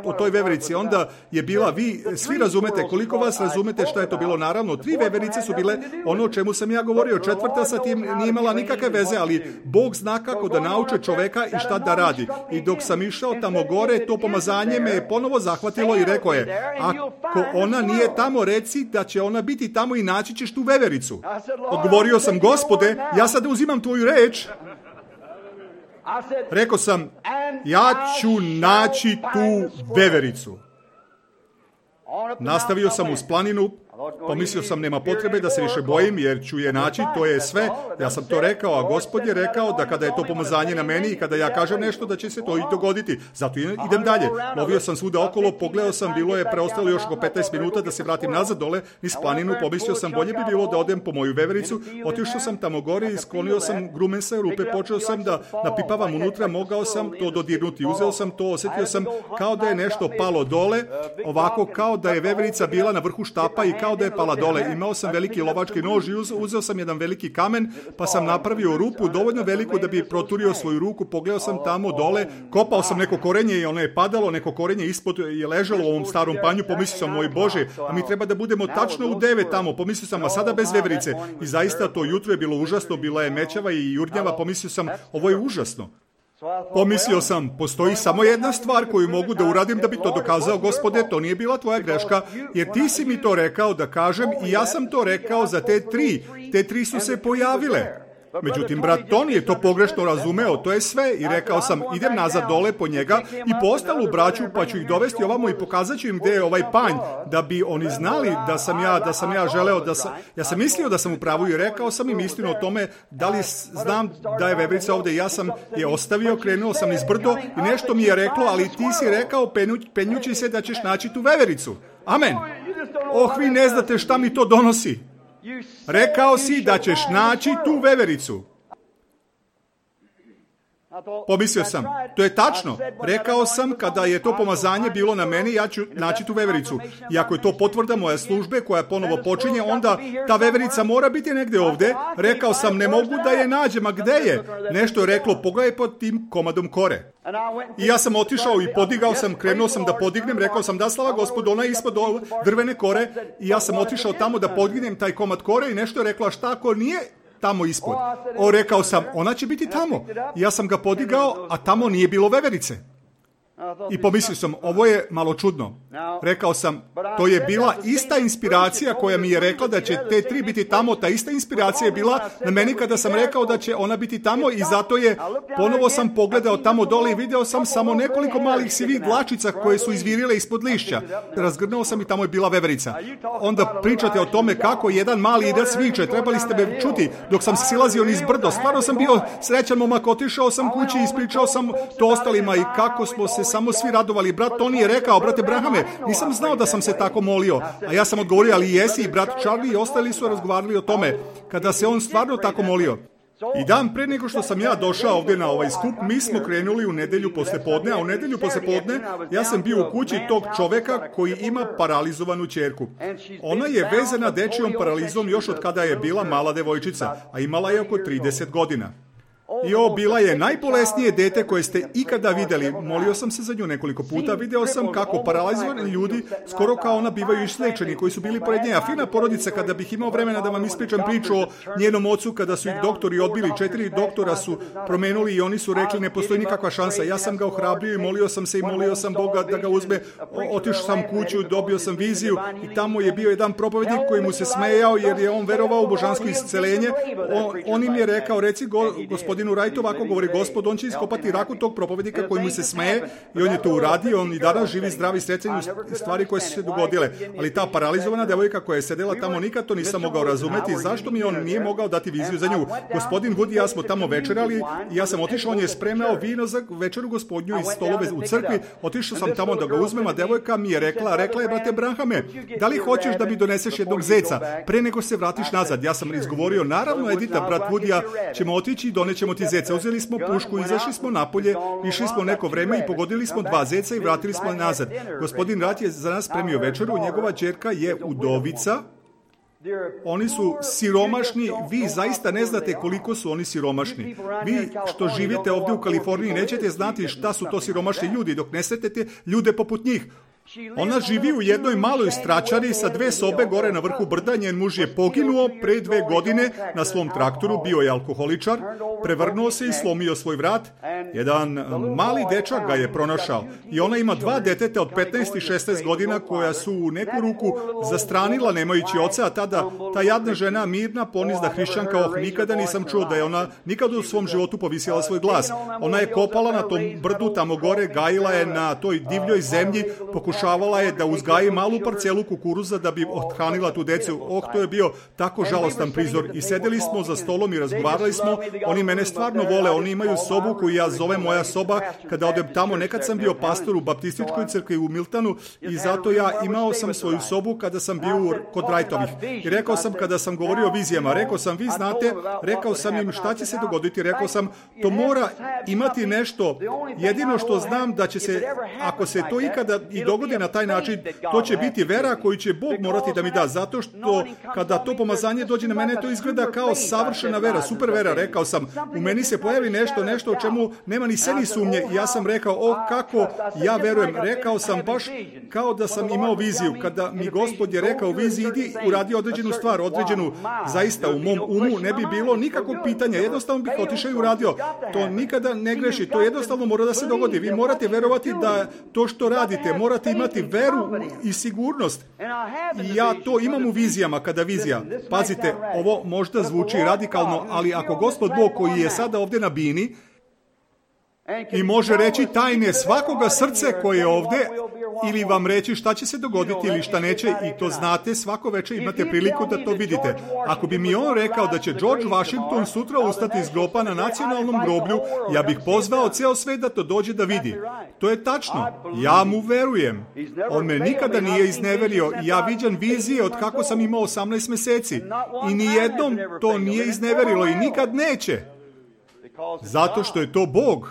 o toj veverici, onda je bila, vi svi razumete, koliko vas razumete šta je to bilo, naravno, 3 veverice su bile ono o čemu sam ja govorio, 4. sa tim nije imala nikakve veze, ali Bog zna kako da nauče čoveka i šta da radi. I dok sam išao tamo gore, to pomazanje me je ponovo zahvatilo i rekao je, ako ona nije tamo, reci da će ona biti tamo i naći ćeš tu vevericu. Odgovorio sam, Gospode, ja sad uzimam tvoju reč. Rekao sam, ja ću naći tu vevericu. Nastavio sam uz planinu, pomislio sam nema potrebe da se više bojim jer ću je naći, to je sve. Ja sam to rekao, a Gospod je rekao da kada je to pomazanje na meni i kada ja kažem nešto da će se to i dogoditi. Zato idem dalje. Lovio sam svuda okolo, pogledao sam, bilo je preostalo još oko 15 minuta da se vratim nazad dole niz planinu, pomislio sam bolje bi bilo da odem po moju vevericu. Otišao sam tamo gore i sklonio sam grumen sa rupe, počeo sam da napipavam unutra, mogao sam to dodirnuti. Uzeo sam to, osjetio sam kao da je nešto palo dole, ovako kao da je veverica bila na vrhu štapa i kao da je pala dole. Imao sam veliki lovački nož i uzeo sam jedan veliki kamen, pa sam napravio rupu dovoljno veliku da bi proturio svoju ruku. Pogledao sam tamo dole, kopao sam neko korenje i ono je padalo, neko korenje ispod je ležalo u ovom starom panju. Pomislio sam, moj Bože, a mi treba da budemo tačno u 9 tamo. Pomislio sam, a sada bez veverice. I zaista to jutro je bilo užasno, bila je mećava i jurnjava. Pomislio sam, ovo je užasno. Pomislio sam, postoji samo jedna stvar koju mogu da uradim da bi to dokazao, Gospode, to nije bila tvoja greška, jer ti si mi to rekao da kažem i ja sam to rekao za te 3. Te 3 su se pojavile. Međutim, brat Toni je to pogrešno razumeo, to je sve, i rekao sam, idem nazad dole po njega i po ostalu braću, pa ću ih dovesti ovamo i pokazat ću im gdje je ovaj panj, da bi oni znali da sam ja želeo, ja sam mislio da sam u pravu i rekao sam im istinu o tome, da li znam da je veverica ovdje. Ja sam je ostavio, krenuo sam iz brdo i nešto mi je reklo, ali ti si rekao penjući se da ćeš naći tu vevericu. Amen. Vi ne znate šta mi to donosi. Rekao si da ćeš naći tu vevericu. Pomislio sam, to je tačno. Rekao sam, kada je to pomazanje bilo na meni, ja ću naći tu vevericu. I ako je to potvrda moje službe koja ponovo počinje, onda ta veverica mora biti negdje ovdje. Rekao sam, ne mogu da je nađem, a gde je? Nešto je reklo, pogledaj pod tim komadom kore. I ja sam otišao i podigao sam, krenuo sam da podignem, rekao sam, da slava Gospodu, ona je ispod drvene kore. I ja sam otišao tamo da podignem taj komad kore i nešto je rekla, šta ako nije tamo ispod? Rekao sam, ona će biti tamo. I ja sam ga podigao, a tamo nije bilo veverice. I pomislio sam, ovo je malo čudno. Rekao sam, to je bila ista inspiracija koja mi je rekla da će te tri biti tamo. Ta ista inspiracija je bila na meni kada sam rekao da će ona biti tamo i zato je, ponovo sam pogledao tamo dole i video sam samo nekoliko malih sivih dlačica koje su izvirile ispod lišća. Razgrnuo sam i tamo je bila veverica. Onda pričate o tome kako jedan mali idac viče, trebali ste me čuti dok sam silazio niz brdo. Stvarno sam bio srećan momak, otišao sam kući i ispričao sam to ostalima i kako smo se samo svi radovali. Brat Toni je rekao, brate Brahame, nisam znao da sam se tako molio. A ja sam odgovorio, ali jesi, i brat Charlie i ostali su razgovarali o tome, kada se on stvarno tako molio. I dan pre nego što sam ja došao ovdje na ovaj skup, mi smo krenuli u nedjelju poslijepodne, a u nedjelju poslijepodne ja sam bio u kući tog čoveka koji ima paralizovanu ćerku. Ona je vezana dečijom paralizom još od kada je bila mala devojčica, a imala je oko 30 godina. I ovo bila je najbolesnije dete koje ste ikada vidjeli. Molio sam se za nju nekoliko puta. Video sam kako paralizovani ljudi, skoro kao ona, bivaju isliječeni koji su bili pored nje. A fina porodica, kada bih imao vremena da vam ispričam priču o njenom ocu, kada su ih doktori odbili, 4 doktora su promenuli i oni su rekli ne postoji nikakva šansa. Ja sam ga ohrabrio i molio sam se i molio sam Boga da ga uzme. Otišao sam kuću, dobio sam viziju i tamo je bio jedan propovednik koji mu se smejao jer je on verovao u božansko isceljenje. On im je rekao, reci gospodinu Wright, ovako govori Gospod, on će iskopati raku tog propovednika koji mu se smeje i on je to uradio, on i danas živi zdravi srećen u stvari koje su se dogodile. Ali ta paralizovana devojka koja je sedela tamo, nikad to nisam mogao razumeti, zašto mi on nije mogao dati viziju za nju. Gospodin Wood i ja smo tamo večerali i ja sam otišao, on je spremao vino za večeru gospodnju iz stolove u crkvi, otišao sam tamo da ga uzmem, a devojka mi je rekla je, brate Brahame, da li hoćeš da mi doneseš jednog zeca pre nego se vratiš nazad? Ja sam izgovorio, naravno Edita, brat Wood i ja ćemo otići i donećemo ti zeca. Uzeli smo pušku, izašli smo napolje, išli smo neko vreme i pogodili smo 2 zeca i vratili smo nazad. Gospodin Wright je za nas spremio večeru, njegova ćerka je udovica. Oni su siromašni, vi zaista ne znate koliko su oni siromašni. Vi što živite ovdje u Kaliforniji nećete znati šta su to siromašni ljudi dok ne sretete ljude poput njih. Ona živi u jednoj maloj stračari sa 2 sobe gore na vrhu brda. Njen muž je poginuo pre 2 godine na svom traktoru, bio je alkoholičar, prevrnuo se i slomio svoj vrat. Jedan mali dečak ga je pronašao i ona ima 2 deteta od 15 i 16 godina koja su u neku ruku zastranila nemajući oca, a tada ta jadna žena, mirna, ponizna hrišćanka, nikada nisam čuo da je ona nikada u svom životu povisila svoj glas. Ona je kopala na tom brdu tamo gore, gajila je na toj divljoj zemlji, pokušavala je da uzgaji malu parcelu kukuruza da bi othranila tu decu. To je bio tako žalostan prizor. I sedeli smo za stolom i razgovarali smo. Oni mene stvarno vole, oni imaju sobu koju ja zovem moja soba. Kada odem tamo, nekad sam bio pastor u baptističkoj crkvi u Miltonu i zato ja imao sam svoju sobu kada sam bio kod Wrightovih. I rekao sam, kada sam govorio o vizijama, rekao sam, vi znate, rekao sam im šta će se dogoditi, rekao sam, to mora imati nešto. Jedino što znam da će se, ako se to ikada i dogodi na taj način, to će biti vera koju će Bog morati da mi da, zato što kada to pomazanje dođe na mene, to izgleda kao savršena vera, super vera. Rekao sam, u meni se pojavi nešto o čemu nema ni seni sumnje. I ja sam rekao, kako ja verujem. Rekao sam baš kao da sam imao viziju. Kada mi Gospod je rekao viziji, idi uradi određenu stvar, određenu, zaista u mom umu ne bi bilo nikakvog pitanja, jednostavno bih otišao i uradio. To nikada ne greši, to jednostavno mora da se dogodi. Vi morate verovati da to što radite, morate imati veru i sigurnost. I ja to imam u vizijama, kada vizija. Pazite, ovo možda zvuči radikalno, ali ako Gospod Bog koji je sada ovdje na bini i može reći tajne svakoga srce koje je ovdje, ili vam reći šta će se dogoditi ili šta neće, i to znate, svako večer imate priliku da to vidite. Ako bi mi on rekao da će George Washington sutra ustati iz groba na nacionalnom groblju, ja bih pozvao ceo svet da to dođe da vidi. To je tačno. Ja mu verujem. On me nikada nije izneverio i ja viđam vizije od kako sam imao 18 mjeseci. I nijednom to nije izneverilo i nikad neće. Zato što je to Bog.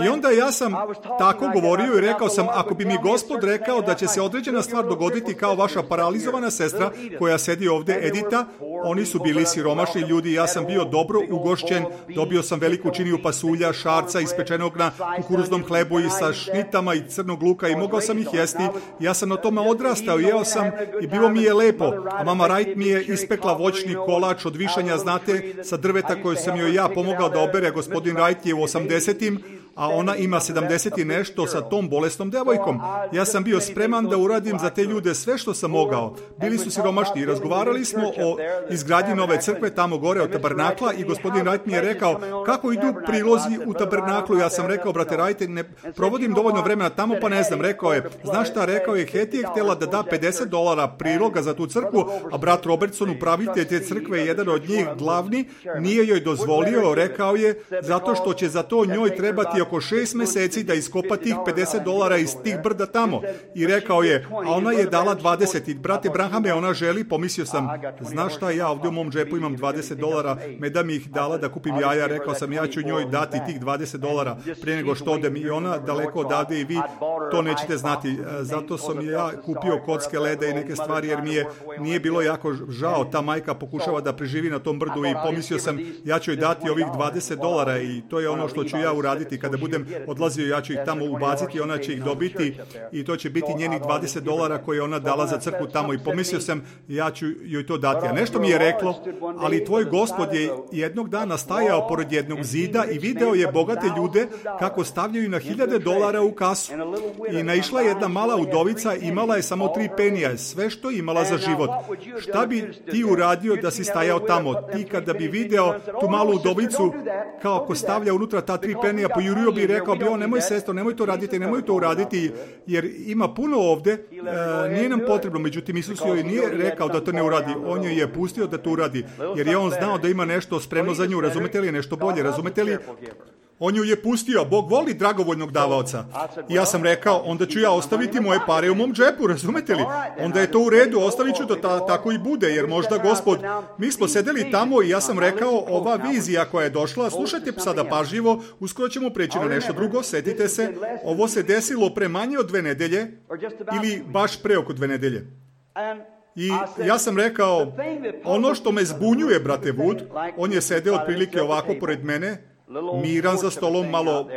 I onda ja sam tako govorio i rekao sam, ako bi mi Gospod rekao da će se određena stvar dogoditi kao vaša paralizovana sestra koja sedi ovdje, Edita, oni su bili siromašni ljudi, ja sam bio dobro ugošćen, dobio sam veliku činiju pasulja, šarca ispečenog na kukuruznom hlebu i sa šnitama i crnog luka i mogao sam ih jesti. Ja sam na tome odrastao, jeo sam i bilo mi je lepo. A mama Wright mi je ispekla voćni kolač od višanja, znate, sa drveta koju sam joj ja pomogao da obere. Gospodin Wright je u 80-im, a ona ima 70 i nešto sa tom bolesnom devojkom. Ja sam bio spreman da uradim za te ljude sve što sam mogao. Bili su siromašni i razgovarali smo o izgradnji nove crkve tamo gore od tabernakla i gospodin Wright mi je rekao kako idu prilozi u tabernaklu. Ja sam rekao, brate Wright, ne provodim dovoljno vremena tamo, pa ne znam. Rekao je, znaš šta, rekao je, Hetty je htjela da da $50 priloga za tu crkvu, a brat Robertson, upravitelj te crkve, jedan od njih glavni, nije joj dozvolio, rekao je, zato što će za to njoj trebati oko 6 mjeseci da iskopa tih $50 iz tih brda tamo. I rekao je, a ona je dala 20. I brate Branhame, ona želi, pomislio sam, znaš šta, ja ovdje u mom džepu imam $20, me da mi ih dala da kupim jaja, rekao sam, ja ću njoj dati tih $20 prije nego što odem. I ona daleko odavde i vi to nećete znati. Zato sam ja kupio kocke leda i neke stvari, jer mi nije bilo jako žao. Ta majka pokušava da preživi na tom brdu i pomislio sam, ja ću joj dati ovih $20 i to je ono što ću ja uraditi kada budem odlazio, ja ću ih tamo ubaciti, ona će ih dobiti i to će biti njenih $20 koje ona dala za crkvu tamo i pomislio sam, ja ću joj to dati. A nešto mi je reklo, ali tvoj Gospod je jednog dana stajao pored jednog zida i video je bogate ljude kako stavljaju na $1000 u kasu. I naišla je jedna mala udovica, imala je samo 3 penija, sve što je imala za život. Šta bi ti uradio da si stajao tamo? Ti kada bi video tu malu udovicu kako stavlja unutra ta 3 penija, pojurio bi i rekao bi, nemoj sestro, nemoj to raditi, nemoj to uraditi, jer ima puno ovdje, nije nam potrebno. Međutim, Isus joj nije rekao da to ne uradi, on joj je pustio da to uradi, jer je on znao da ima nešto spremno za nju, razumete li, nešto bolje, razumete li? On ju je pustio, Bog voli dragovoljnog davaoca. I ja sam rekao, onda ću ja ostaviti moje pare u mom džepu, razumete li? Onda je to u redu, ostavit ću da tako i bude, jer možda Gospod, mi smo sedeli tamo i ja sam rekao, ova vizija koja je došla, slušajte sada pažljivo, uskoro ćemo preći na nešto drugo, setite se, ovo se desilo pre manje od 2 nedelje, ili baš pre oko 2 nedelje. I ja sam rekao, ono što me zbunjuje, brate Wood, on je sedeo otprilike ovako pored mene, miran za stolom, malo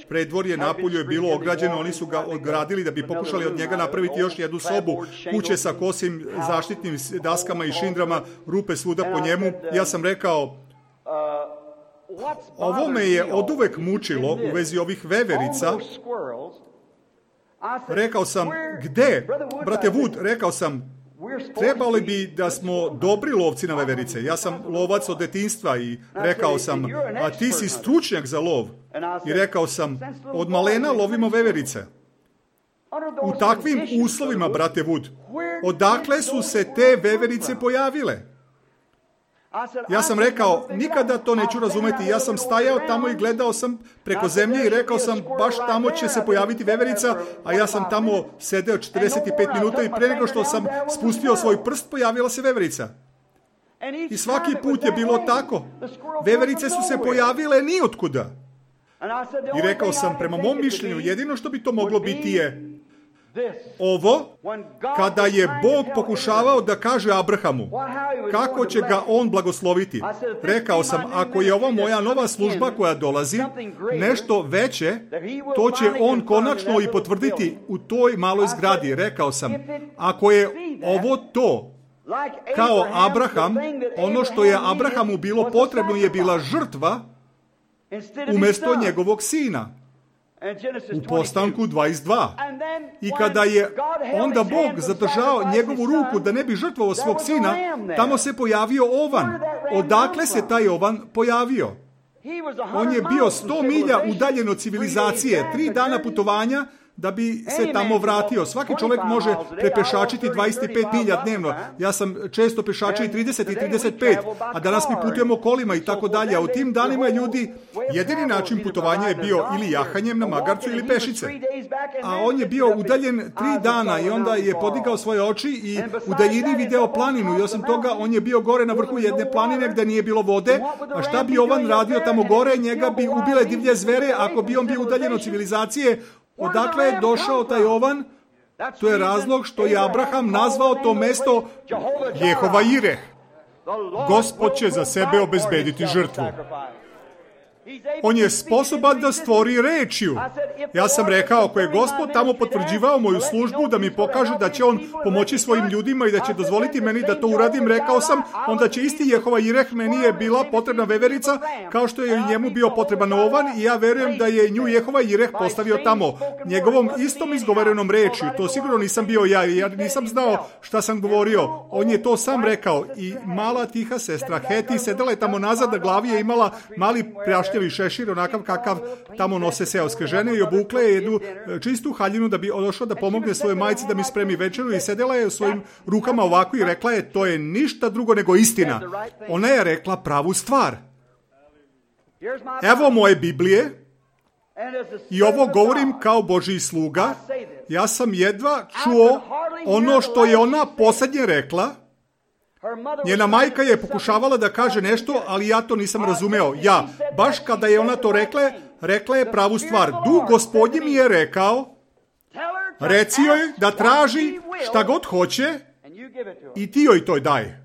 predvorje napolju je bilo ograđeno, oni su ga ogradili da bi pokušali od njega napraviti još jednu sobu, kuće sa kosim zaštitnim daskama i šindrama, rupe svuda po njemu. Ja sam rekao, ovo me je oduvek mučilo u vezi ovih veverica. Rekao sam, gde? Brate Wood, rekao sam, trebali bi da smo dobri lovci na veverice. Ja sam lovac od detinjstva i rekao sam, a ti si stručnjak za lov. I rekao sam, od malena lovimo veverice. U takvim uslovima, brate Wood, odakle su se te veverice pojavile? Ja sam rekao, nikada to neću razumeti. Ja sam stajao tamo i gledao sam preko zemlje i rekao sam, baš tamo će se pojaviti veverica, a ja sam tamo sedeo 45 minuta i pre nego što sam spustio svoj prst, pojavila se veverica. I svaki put je bilo tako. Veverice su se pojavile nijotkuda. I rekao sam, prema mom mišljenju, jedino što bi to moglo biti je ovo, kada je Bog pokušavao da kaže Abrahamu kako će ga on blagosloviti. Rekao sam, ako je ovo moja nova služba koja dolazi, nešto veće, to će on konačno i potvrditi u toj maloj zgradi. Rekao sam, ako je ovo to, kao Abraham, ono što je Abrahamu bilo potrebno je bila žrtva umjesto njegovog sina. U Postanku 22. I kada je onda Bog zadržao njegovu ruku da ne bi žrtvovao svog sina, tamo se pojavio ovan. Odakle se taj ovan pojavio? On je bio 100 milja udaljen od civilizacije, 3 dana putovanja da bi se tamo vratio. Svaki čovjek može prepešačiti 25 milja dnevno. Ja sam često pešačio i 30 i 35, a danas mi putujemo kolima i tako dalje. A u tim danima ljudi, jedini način putovanja je bio ili jahanjem na magarcu ili pešice. A on je bio udaljen 3 dana i onda je podigao svoje oči i u daljini video planinu. I osim toga, on je bio gore na vrhu jedne planine gdje nije bilo vode. A šta bi Jovan radio tamo gore? Njega bi ubile divlje zvere ako bi on bio udaljen od civilizacije. Odakle je došao taj Jovan? To je razlog što je Abraham nazvao to mesto Jehova Jireh. Gospod će za sebe obezbediti žrtvu. On je sposoban da stvori rečju. Ja sam rekao, ako je Gospod tamo potvrđivao moju službu da mi pokaže da će on pomoći svojim ljudima i da će dozvoliti meni da to uradim, rekao sam, onda će isti Jehova Jireh, meni je bila potrebna veverica, kao što je njemu bio potreban ovan, i ja verujem da je nju Jehova Jireh postavio tamo. Njegovom istom izgovorenom rečju, to sigurno nisam bio ja nisam znao šta sam govorio. On je to sam rekao i mala tiha sestra Heti sedela je tamo nazad, na glavi je imala mali prašnjavi šešir, onakav kakav tamo nose seoske žene, i obukle je jednu čistu haljinu da bi došla da pomogne svojoj majci da mi spremi večeru, i sedela je u svojim rukama ovako i rekla je, to je ništa drugo nego istina. Ona je rekla pravu stvar. Evo moje Biblije i ovo govorim kao Božji sluga. Ja sam jedva čuo ono što je ona posljednje rekla. Njena majka je pokušavala da kaže nešto, ali ja to nisam razumeo. Ja, baš kada je ona to rekla je pravu stvar. Duh Gospodnji mi je rekao, reci joj da traži šta god hoće i ti joj to daj.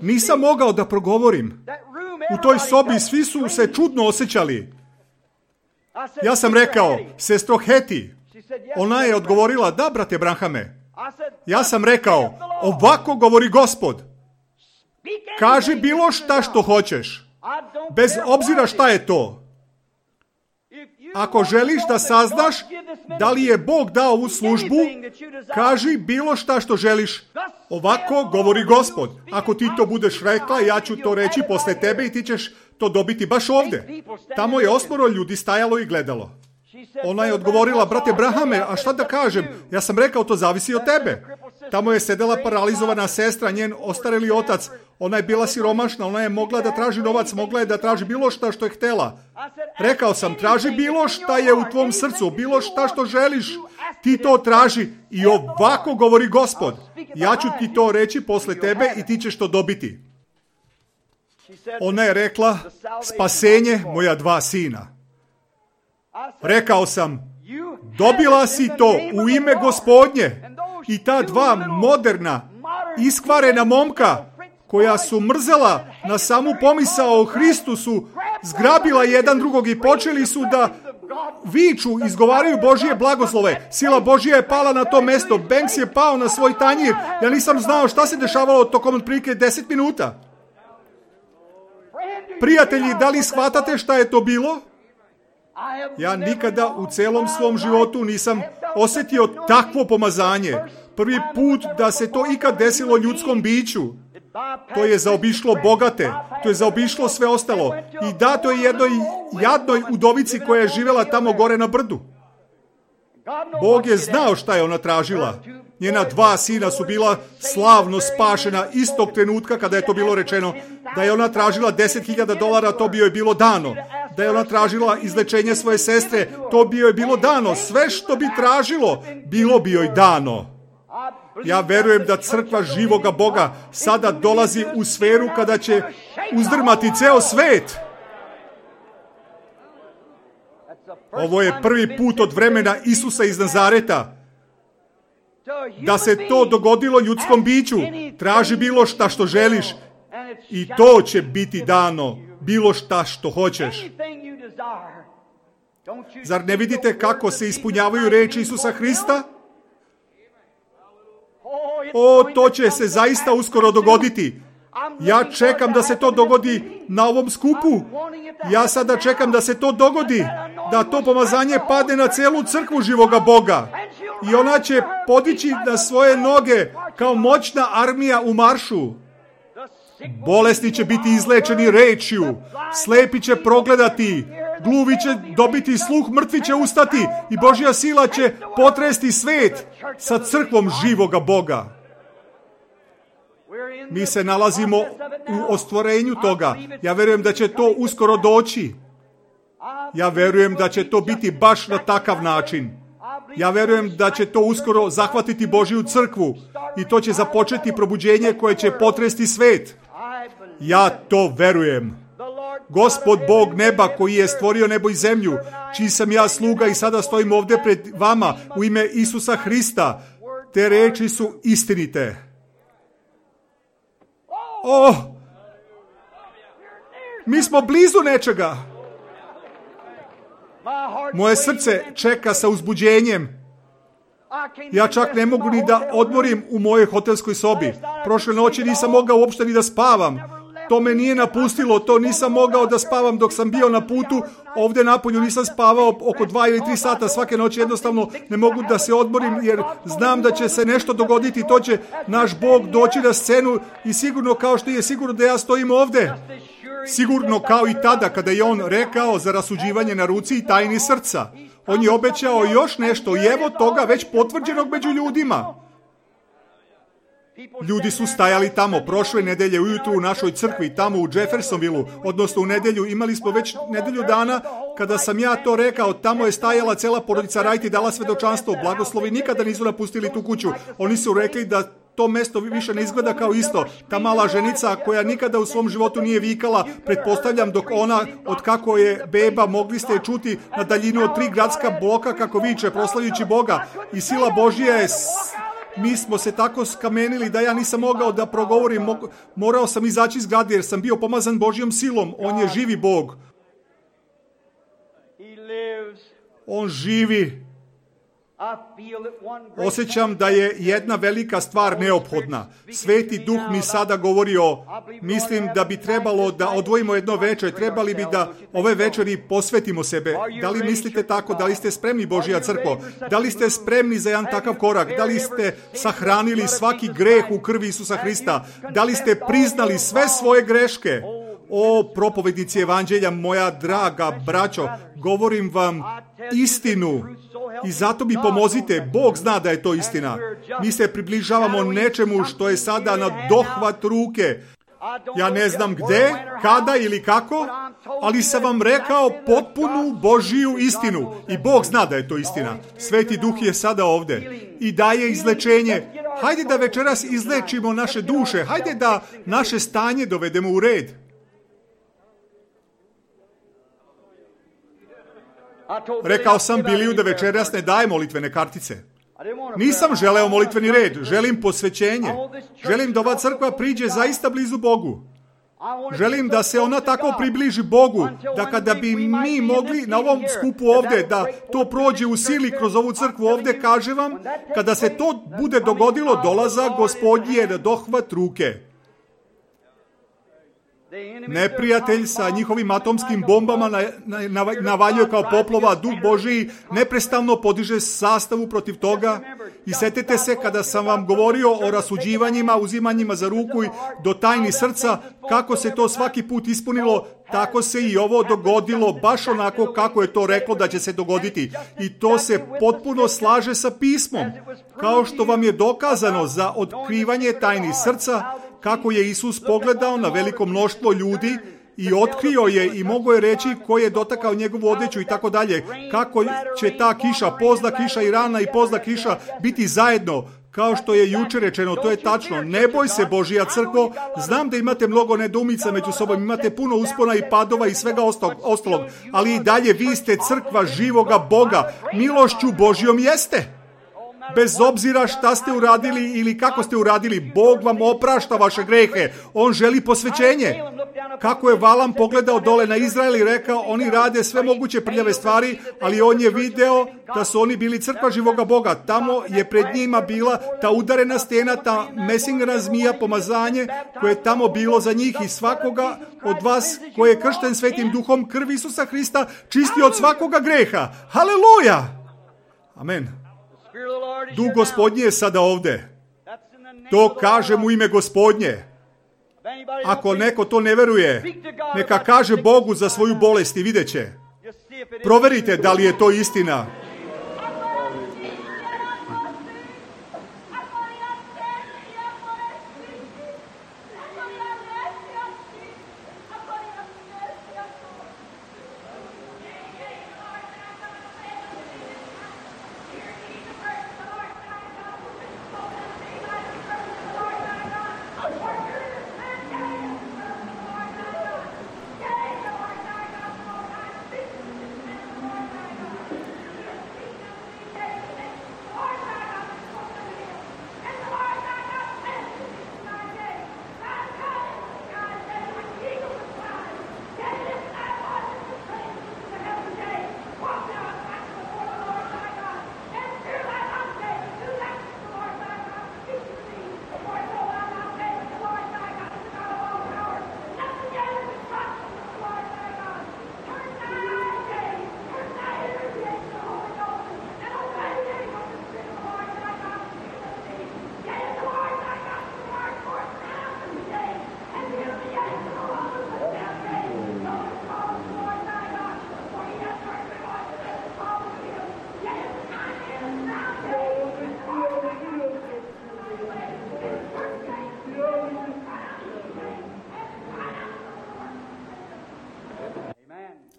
Nisam mogao da progovorim. U toj sobi svi su se čudno osjećali. Ja sam rekao, sestro Heti. Ona je odgovorila, da, brate Branhame. Ja sam rekao, ovako govori Gospod. Kaži bilo šta što hoćeš. Bez obzira šta je to. Ako želiš da saznaš da li je Bog dao ovu službu, kaži bilo šta što želiš. Ovako govori Gospod. Ako ti to budeš rekla, ja ću to reći posle tebe i ti ćeš to dobiti baš ovde. Tamo je 8 ljudi stajalo i gledalo. Ona je odgovorila, brate Brahame, a šta da kažem? Ja sam rekao, to zavisi od tebe. Tamo je sedela paralizovana sestra, njen ostareli otac. Ona je bila siromašna, ona je mogla da traži novac, mogla je da traži bilo šta što je htela. Rekao sam, traži bilo šta je u tvom srcu, bilo šta što želiš, ti to traži i ovako govori Gospod. Ja ću ti to reći posle tebe i ti ćeš to dobiti. Ona je rekla, spasenje moja 2 sina. Rekao sam, dobila si to u ime Gospodnje, i ta 2 moderna, iskvarena momka, koja su mrzela na samu pomisao o Hristu, su zgrabila jedan drugog i počeli su da viču, izgovaraju Božije blagoslove. Sila Božija je pala na to mesto, Banks je pao na svoj tanjir. Ja nisam znao šta se dešavalo tokom otprilike 10 minuta. Prijatelji, da li shvatate šta je to bilo? Ja nikada u celom svom životu nisam osjetio takvo pomazanje. Prvi put da se to ikad desilo ljudskom biću. To je zaobišlo bogate, to je zaobišlo sve ostalo. I dato je jednoj jadnoj udovici koja je živjela tamo gore na brdu. Bog je znao šta je ona tražila. Njena 2 sina su bila slavno spašena istog trenutka kada je to bilo rečeno. Da je ona tražila $10,000, to bi joj bilo dano. Da je ona tražila izlečenje svoje sestre, to bi joj bilo dano. Sve što bi tražilo, bilo bi joj dano. Ja verujem da crkva živoga Boga sada dolazi u sferu kada će uzdrmati ceo svet. Ovo je prvi put od vremena Isusa iz Nazareta da se to dogodilo ljudskom biću. Traži bilo šta što želiš i to će biti dano. Bilo šta što hoćeš. Zar ne vidite kako se ispunjavaju reči Isusa Hrista? O, to će se zaista uskoro dogoditi. Ja čekam da se to dogodi na ovom skupu. Ja sada čekam da se to dogodi. Da to pomazanje padne na celu crkvu živoga Boga. I ona će podići na svoje noge kao moćna armija u maršu. Bolesni će biti izlečeni rečju. Slepi će progledati. Gluvi će dobiti sluh, mrtvi će ustati i Božja sila će potresti svet sa crkvom živoga Boga. Mi se nalazimo u ostvarenju toga. Ja verujem da će to uskoro doći. Ja verujem da će to biti baš na takav način. Ja verujem da će to uskoro zahvatiti Božju crkvu i to će započeti probuđenje koje će potresti svet. Ja to verujem. Gospod Bog neba koji je stvorio nebo i zemlju, čiji sam ja sluga i sada stojim ovdje pred vama u ime Isusa Hrista, te reči su istinite. Mi smo blizu nečega. Moje srce čeka sa uzbuđenjem. Ja čak ne mogu ni da odmorim u mojoj hotelskoj sobi. Prošle noći nisam mogao uopšte ni da spavam. To me nije napustilo, to nisam mogao da spavam dok sam bio na putu. Ovdje napolju nisam spavao oko 2 ili 3 sata svake noći. Jednostavno ne mogu da se odmorim jer znam da će se nešto dogoditi. To će naš Bog doći na scenu i sigurno kao što je sigurno da ja stojim ovdje. Sigurno kao i tada kada je on rekao za rasuđivanje na ruci i tajni srca. On je obećao još nešto i evo toga već potvrđenog među ljudima. Ljudi su stajali tamo prošle nedelje ujutru u našoj crkvi, tamo u Jeffersonvilleu, odnosno u nedelju, imali smo već nedelju dana, kada sam ja to rekao, tamo je stajala cela porodica Wright i dala svedočanstvo, blagoslovi nikada nisu napustili tu kuću. Oni su rekli da to mesto više ne izgleda kao isto. Ta mala ženica koja nikada u svom životu nije vikala, pretpostavljam dok ona, od kako je beba, mogli ste čuti na daljinu od 3 gradska bloka kako viče, proslavljujući Boga. I sila Božja je... Mi smo se tako skamenili da ja nisam mogao da progovorim. Morao sam izaći iz zgrade jer sam bio pomazan Božjom silom. On je živi Bog. On živi. Osjećam da je jedna velika stvar neophodna. Sveti Duh mi sada govori mislim da bi trebalo da odvojimo jedno večer, trebali bi da ove večeri posvetimo sebe. Da li mislite tako? Da li ste spremni, Božja crkvo? Da li ste spremni za jedan takav korak? Da li ste sahranili svaki greh u krvi Isusa Hrista? Da li ste priznali sve svoje greške? O, propovednici evanđelja, moja draga braćo, govorim vam istinu i zato mi pomozite. Bog zna da je to istina. Mi se približavamo nečemu što je sada na dohvat ruke. Ja ne znam gde, kada ili kako, ali sam vam rekao potpunu Božiju istinu i Bog zna da je to istina. Sveti Duh je sada ovdje i daje izlečenje. Hajde da večeras izlečimo naše duše, hajde da naše stanje dovedemo u red. Rekao sam Biliju da večeras ne daje molitvene kartice. Nisam želeo molitveni red, želim posvećenje. Želim da ova crkva priđe zaista blizu Bogu. Želim da se ona tako približi Bogu, da kada bi mi mogli na ovom skupu ovdje, da to prođe u sili kroz ovu crkvu ovdje, kažem vam, kada se to bude dogodilo, dolazak Gospodnji je na dohvat ruke. Neprijatelj sa njihovim atomskim bombama navaljuje kao poplova, Duh Božiji neprestavno podiže sastavu protiv toga. I setite se kada sam vam govorio o rasuđivanjima, uzimanjima za ruku i do tajni srca, kako se to svaki put ispunilo, tako se i ovo dogodilo, baš onako kako je to reklo da će se dogoditi. I to se potpuno slaže sa pismom. Kao što vam je dokazano za otkrivanje tajni srca, kako je Isus pogledao na veliko mnoštvo ljudi i otkrio je i mogao je reći ko je dotakao njegovu odeću i tako dalje. Kako će ta kiša, pozna kiša i rana i pozna kiša biti zajedno. Kao što je jučer rečeno, to je tačno. Ne boj se, Božja crkvo, znam da imate mnogo nedoumica među sobom, imate puno uspona i padova i svega ostalog, ali i dalje vi ste crkva živoga Boga. Milošću Božjom jeste. Bez obzira šta ste uradili ili kako ste uradili, Bog vam oprašta vaše grehe. On želi posvećenje. Kako je Valam pogledao dole na Izrael i rekao, oni rade sve moguće prljave stvari, ali on je video da su oni bili crkva živoga Boga. Tamo je pred njima bila ta udarena stena, ta mesingana zmija, pomazanje koje je tamo bilo za njih i svakoga od vas koji je kršten Svetim Duhom, krvi Isusa Hrista, čisti od svakoga greha. Haleluja! Amen. Duh Gospodnji je sada ovdje. To kažem u ime Gospodnje. Ako neko to ne veruje, neka kaže Bogu za svoju bolest i vidjet će. Proverite da li je to istina.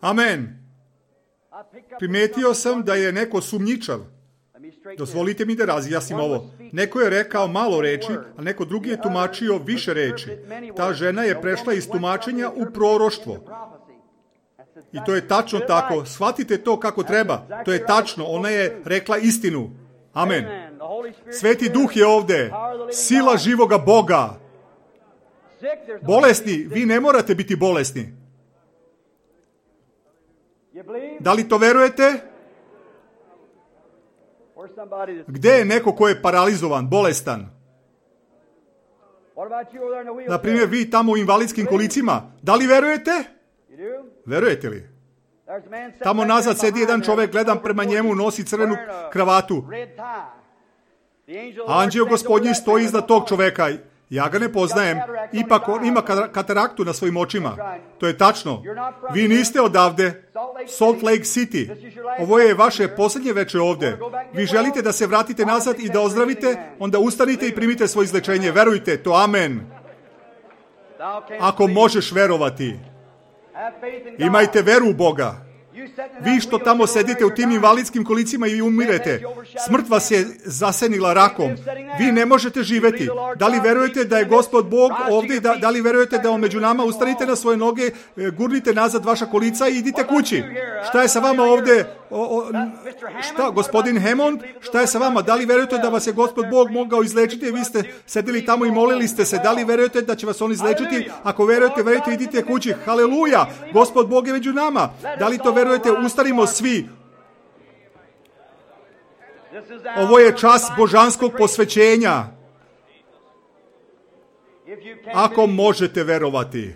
Amen. Primetio sam da je neko sumnjičav. Dozvolite mi da razjasnim ovo. Neko je rekao malo reči, a neko drugi je tumačio više reči. Ta žena je prešla iz tumačenja u proroštvo. I to je tačno tako. Shvatite to kako treba. To je tačno. Ona je rekla istinu. Amen. Sveti Duh je ovde. Sila živoga Boga. Bolesni, vi ne morate biti bolesni. Da li to verujete? Gde je neko ko je paralizovan, bolestan? Na primjer, vi tamo u invalidskim kolicima. Da li verujete? Verujete li? Tamo nazad sedi jedan čovjek, gledam prema njemu, nosi crvenu kravatu. Anđeo Gospodnji stoji iznad tog čovjeka. Ja ga ne poznajem. Ipak on ima kataraktu na svojim očima. To je tačno. Vi niste odavde. Salt Lake City. Ovo je vaše posljednje veče ovde. Vi želite da se vratite nazad i da ozdravite, onda ustanite i primite svoje izlečenje. Verujte, to amen. Ako možeš verovati. Imajte veru u Boga. Vi što tamo sedite u tim invalidskim kolicima i umirete, smrt vas je zasenila rakom. Vi ne možete živjeti. Da li verujete da je Gospod Bog ovdje? Da li verujete da on među nama? Ustanite na svoje noge, gurnite nazad vaša kolica i idite kući. Šta je sa vama ovdje? Šta, gospodin Hammond? Šta je sa vama? Da li verujete da vas je Gospod Bog mogao izlečiti? Vi ste sedili tamo i molili ste se. Da li verujete da će vas on izlečiti? Ako verujete, idite kući. Haleluja! Gospod Bog je među nama. Da li to verujete? Ustanimo svi. Ovo je čas božanskog posvećenja. Ako možete verovati.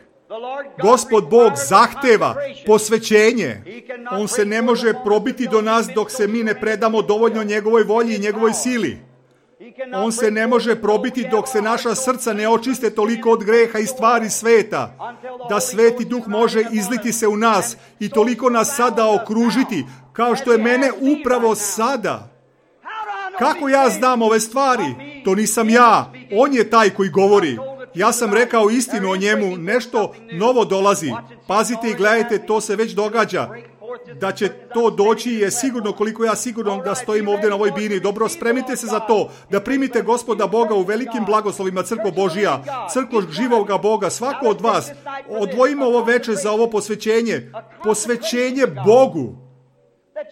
Gospod Bog zahteva posvećenje. On se ne može probiti do nas dok se mi ne predamo dovoljno njegovoj volji i njegovoj sili. On se ne može probiti dok se naša srca ne očiste toliko od greha i stvari sveta, da Sveti Duh može izliti se u nas i toliko nas sada okružiti, kao što je mene upravo sada. Kako ja znam ove stvari? To nisam ja. On je taj koji govori. Ja sam rekao istinu o njemu, nešto novo dolazi. Pazite i gledajte, to se već događa. Da će to doći je sigurno, koliko ja sigurno da stojim ovdje na ovoj bini. Dobro, spremite se za to, da primite Gospoda Boga u velikim blagoslovima, crkvo Božija, crkvo živoga Boga, svako od vas. Odvojimo ovo veče za ovo posvećenje. Posvećenje Bogu.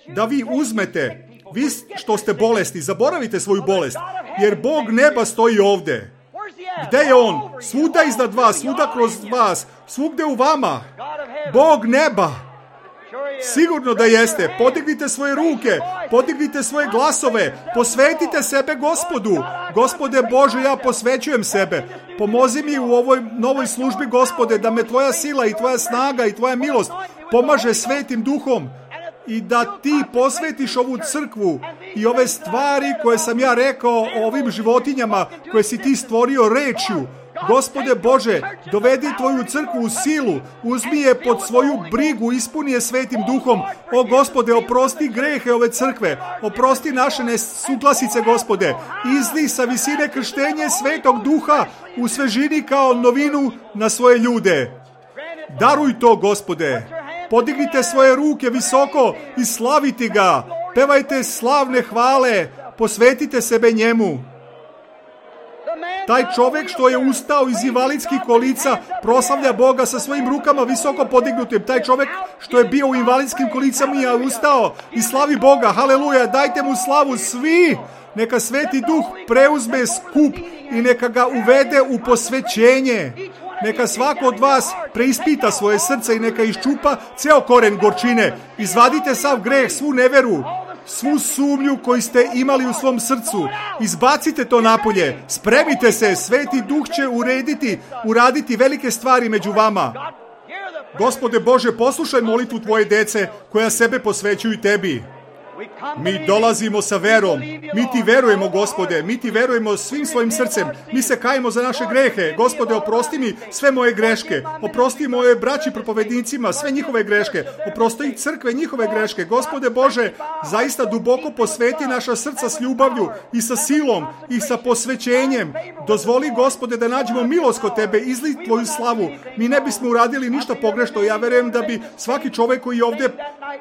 Da vi uzmete, vi što ste bolesni, zaboravite svoju bolest, jer Bog neba stoji ovdje. Gde je on? Svuda iznad vas, svuda kroz vas, svugde u vama. Bog neba. Sigurno da jeste. Podignite svoje ruke, podignite svoje glasove, posvetite sebe Gospodu. Gospode Bože, ja posvećujem sebe. Pomozi mi u ovoj novoj službi, Gospode, da me tvoja sila i tvoja snaga i tvoja milost pomaže Svetim Duhom i da ti posvetiš ovu crkvu i ove stvari koje sam ja rekao o ovim životinjama koje si ti stvorio rečju. Gospode Bože, dovedi tvoju crkvu u silu, uzmi je pod svoju brigu, ispuni je svetim duhom. O Gospode, oprosti grehe ove crkve, oprosti naše nesuglasice, Gospode. Izli sa visine krštenje svetog duha u svežini kao novinu na svoje ljude. Daruj to, Gospode. Podignite svoje ruke visoko i slaviti ga. Pevajte slavne hvale, posvetite sebe njemu. Taj čovjek što je ustao iz invalidskih kolica proslavlja Boga sa svojim rukama visoko podignutim. Taj čovjek što je bio u invalidskim kolicama je ustao i slavi Boga. Haleluja, dajte mu slavu svi. Neka Sveti Duh preuzme skup i neka ga uvede u posvećenje. Neka svako od vas preispita svoje srce i neka iščupa ceo koren gorčine. Izvadite sav greh, svu neveru, svu sumnju koju ste imali u svom srcu. Izbacite to napolje. Spremite se, Sveti Duh će uraditi velike stvari među vama. Gospode Bože, poslušaj molitvu tvoje dece koja sebe posvećuju tebi. Mi dolazimo sa verom. Mi ti verujemo, Gospode. Mi ti verujemo svim svojim srcem. Mi se kajemo za naše grehe. Gospode, oprosti mi sve moje greške. Oprosti moje braći propovednicima sve njihove greške. Oprosti crkve njihove greške. Gospode Bože, zaista duboko posveti naša srca s ljubavlju i sa silom i sa posvećenjem. Dozvoli, Gospode, da nađemo milost kod tebe. Izli tvoju slavu. Mi ne bismo uradili ništa pogrešno. Ja verujem da bi svaki čovjek koji je ovdje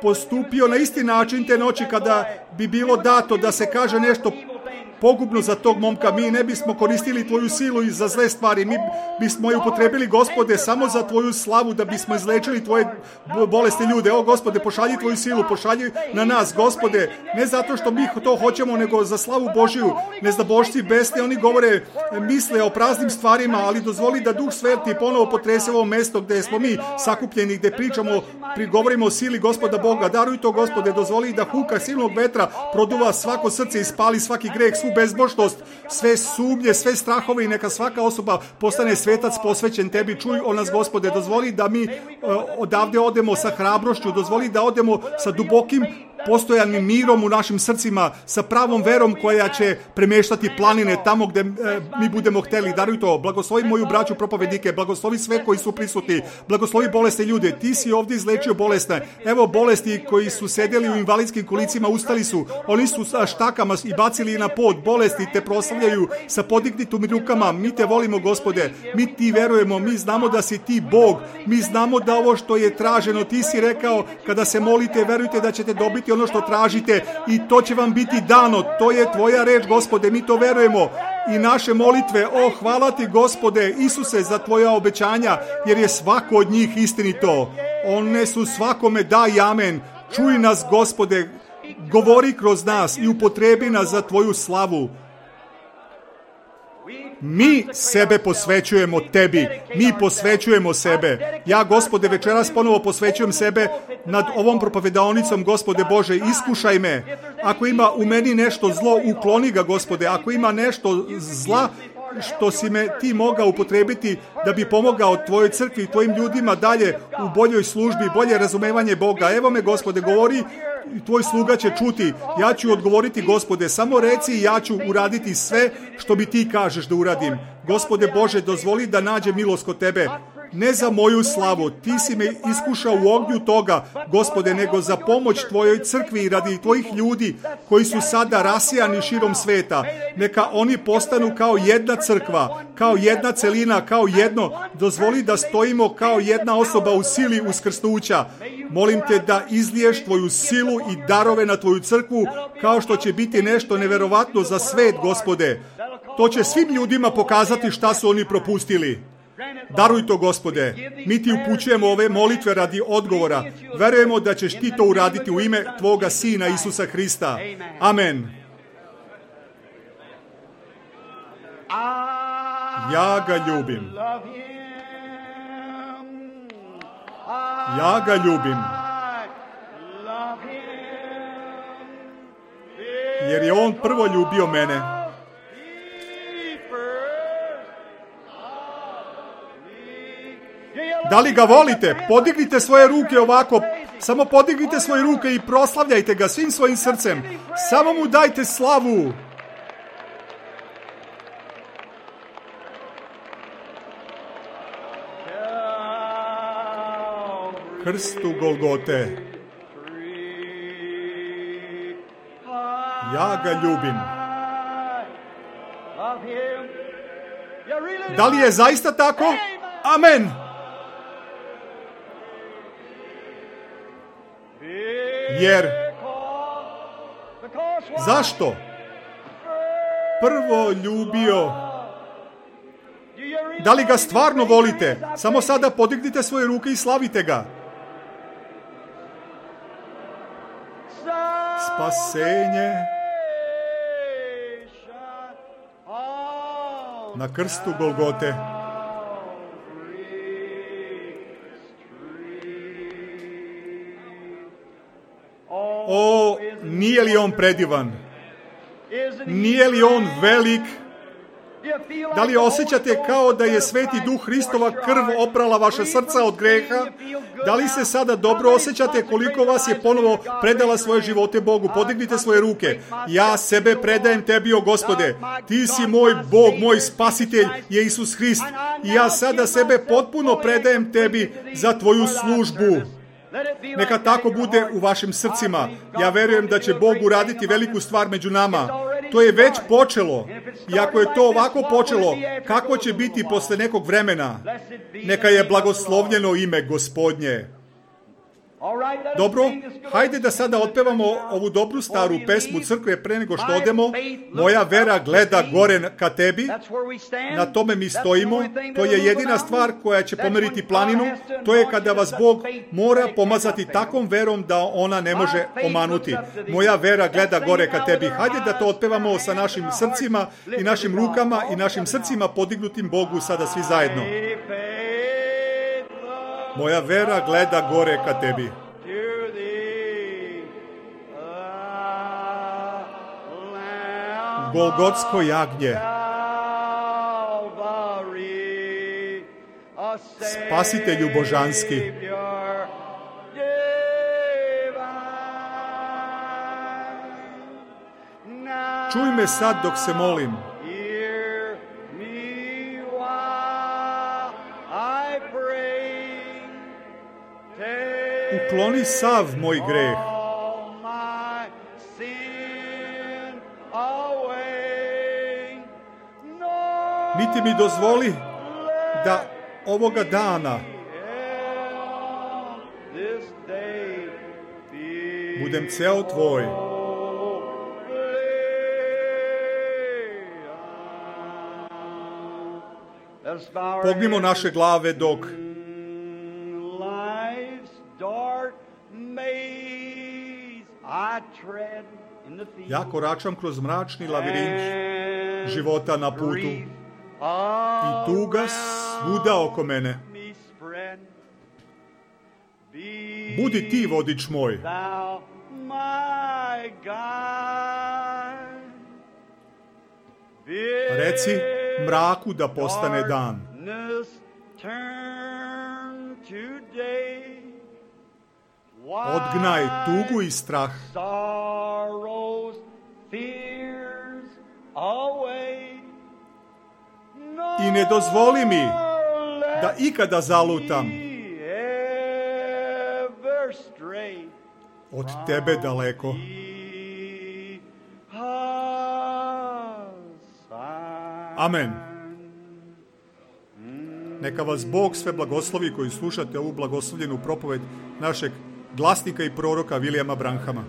postupio na isti način te noći kada bi bilo dato da se kaže nešto pogubno za tog momka, mi ne bismo koristili tvoju silu i za zle stvari. Mi bismo je upotrebili, Gospode, samo za tvoju slavu, da bismo izlečili tvoje bolesti ljude. O, Gospode, pošalji tvoju silu, pošalji na nas, Gospode, ne zato što mi to hoćemo, nego za slavu Božiju. Nezdabošci besni, oni govore, misle o praznim stvarima, ali dozvoli da Duh Sveti ponovo potrese ovo mesto gdje smo mi sakupljeni, gdje prigovorimo o sili Gospoda Boga. Daruj to, Gospode, dozvoli da huka silnog vetra produva svako srce i spali svaki greh, svu bezbožnost, sve sumnje, sve strahove i neka svaka osoba postane svetac posvećen tebi. Čuj o nas, Gospode, dozvoli da mi odavde odemo sa hrabrošću, dozvoli da odemo sa dubokim postojanim mirom u našim srcima, sa pravom verom koja će premeštati planine tamo gdje mi budemo hteli. Daruj to. Blagoslovi moju braću propovednike, blagoslovi sve koji su prisutni, blagoslovi bolesne ljude. Ti si ovdje izlečio bolesne. Evo bolesti koji su sedjeli u invalidskim kolicima, ustali su. Oni su sa štakama i bacili na pod. Bolesti te proslavljaju sa podignutim rukama. Mi te volimo, Gospode. Mi ti verujemo. Mi znamo da si ti Bog. Mi znamo da ovo što je traženo, ti si rekao, kada se molite, verujte da ćete dobiti ono što tražite i to će vam biti dano. To je tvoja reč, Gospode, mi to verujemo. I naše molitve, hvala ti, Gospode Isuse, za tvoja obećanja, jer je svako od njih istinito. One su svakome da i amen. Čuj nas, Gospode, govori kroz nas i upotrebi nas za tvoju slavu. Mi sebe posvećujemo tebi. Mi posvećujemo sebe. Ja, Gospode, večeras ponovo posvećujem sebe nad ovom propovedaonicom, Gospode Bože, iskušaj me. Ako ima u meni nešto zlo, ukloni ga, Gospode. Ako ima nešto zla što si me ti mogao upotrebiti da bi pomogao tvojoj crkvi i tvojim ljudima dalje u boljoj službi, bolje razumevanje Boga. Evo me, Gospode, govori, tvoj sluga će čuti. Ja ću odgovoriti, Gospode, samo reci i ja ću uraditi sve što bi ti kažeš da uradim. Gospode Bože, dozvoli da nađe milost kod tebe. Ne za moju slavu, ti si me iskušao u ognju toga, Gospode, nego za pomoć tvojoj crkvi i radi tvojih ljudi koji su sada rasijani širom sveta. Neka oni postanu kao jedna crkva, kao jedna celina, kao jedno. Dozvoli da stojimo kao jedna osoba u sili uskrsnuća. Molim te da izliješ tvoju silu i darove na tvoju crkvu, kao što će biti nešto neverovatno za svet, Gospode. To će svim ljudima pokazati šta su oni propustili. Daruj to, Gospode. Mi ti upućujemo ove molitve radi odgovora. Verujemo da ćeš ti to uraditi u ime tvoga Sina Isusa Hrista. Amen. Ja ga ljubim. Ja ga ljubim. Jer je on prvo ljubio mene. Da li ga volite? Podignite svoje ruke ovako. Samo podignite svoje ruke i proslavljajte ga svim svojim srcem. Samo mu dajte slavu. krstu Golgote. Ja ga ljubim. Da li je zaista tako? Amen. Jer zašto? Prvo ljubio. Da li ga stvarno volite? Samo sada podignite svoje ruke i slavite ga. Spasenje na krstu Golgote. O, nije li on predivan? Nije li on velik? Da li osjećate kao da je Sveti Duh Hristova krv oprala vaše srca od greha? Da li se sada dobro osjećate koliko vas je ponovo predala svoje živote Bogu? Podignite svoje ruke. Ja sebe predajem tebi, o Gospode. Ti si moj Bog, moj spasitelj je Isus Hrist. I ja sada sebe potpuno predajem tebi za tvoju službu. Neka tako bude u vašim srcima. Ja verujem da će Bog uraditi veliku stvar među nama. To je već počelo. I ako je to ovako počelo, kako će biti posle nekog vremena? Neka je blagoslovljeno ime Gospodnje. Dobro, hajde da sada otpevamo ovu dobru staru pesmu crkve pre nego što odemo. Moja vera gleda gore ka tebi. Na tome mi stojimo. To je jedina stvar koja će pomeriti planinu. To je kada vas Bog mora pomazati takvom verom da ona ne može omanuti. Moja vera gleda gore ka tebi. Hajde da to otpevamo sa našim srcima i našim rukama i našim srcima podignutim Bogu sada svi zajedno. Moja vera gleda gore ka tebi. Golgotsko jagnje. Spasitelju božanski. Čuj me sad dok se molim. Ukloni sav moj greh. Niti mi dozvoli da ovoga dana budem ceo tvoj. Pognimo naše glave dok ja koračam kroz mračni lavirint života na putu i tuga svuda oko mene. Budi ti vodič moj. Reci mraku da postane dan. Odgnaj tugu i strah. I ne dozvoli mi da ikada zalutam od tebe daleko. Amen. Neka vas Bog sve blagoslovi koji slušate ovu blagoslovljenu propoved našeg glasnika i proroka Vilijama Branhama.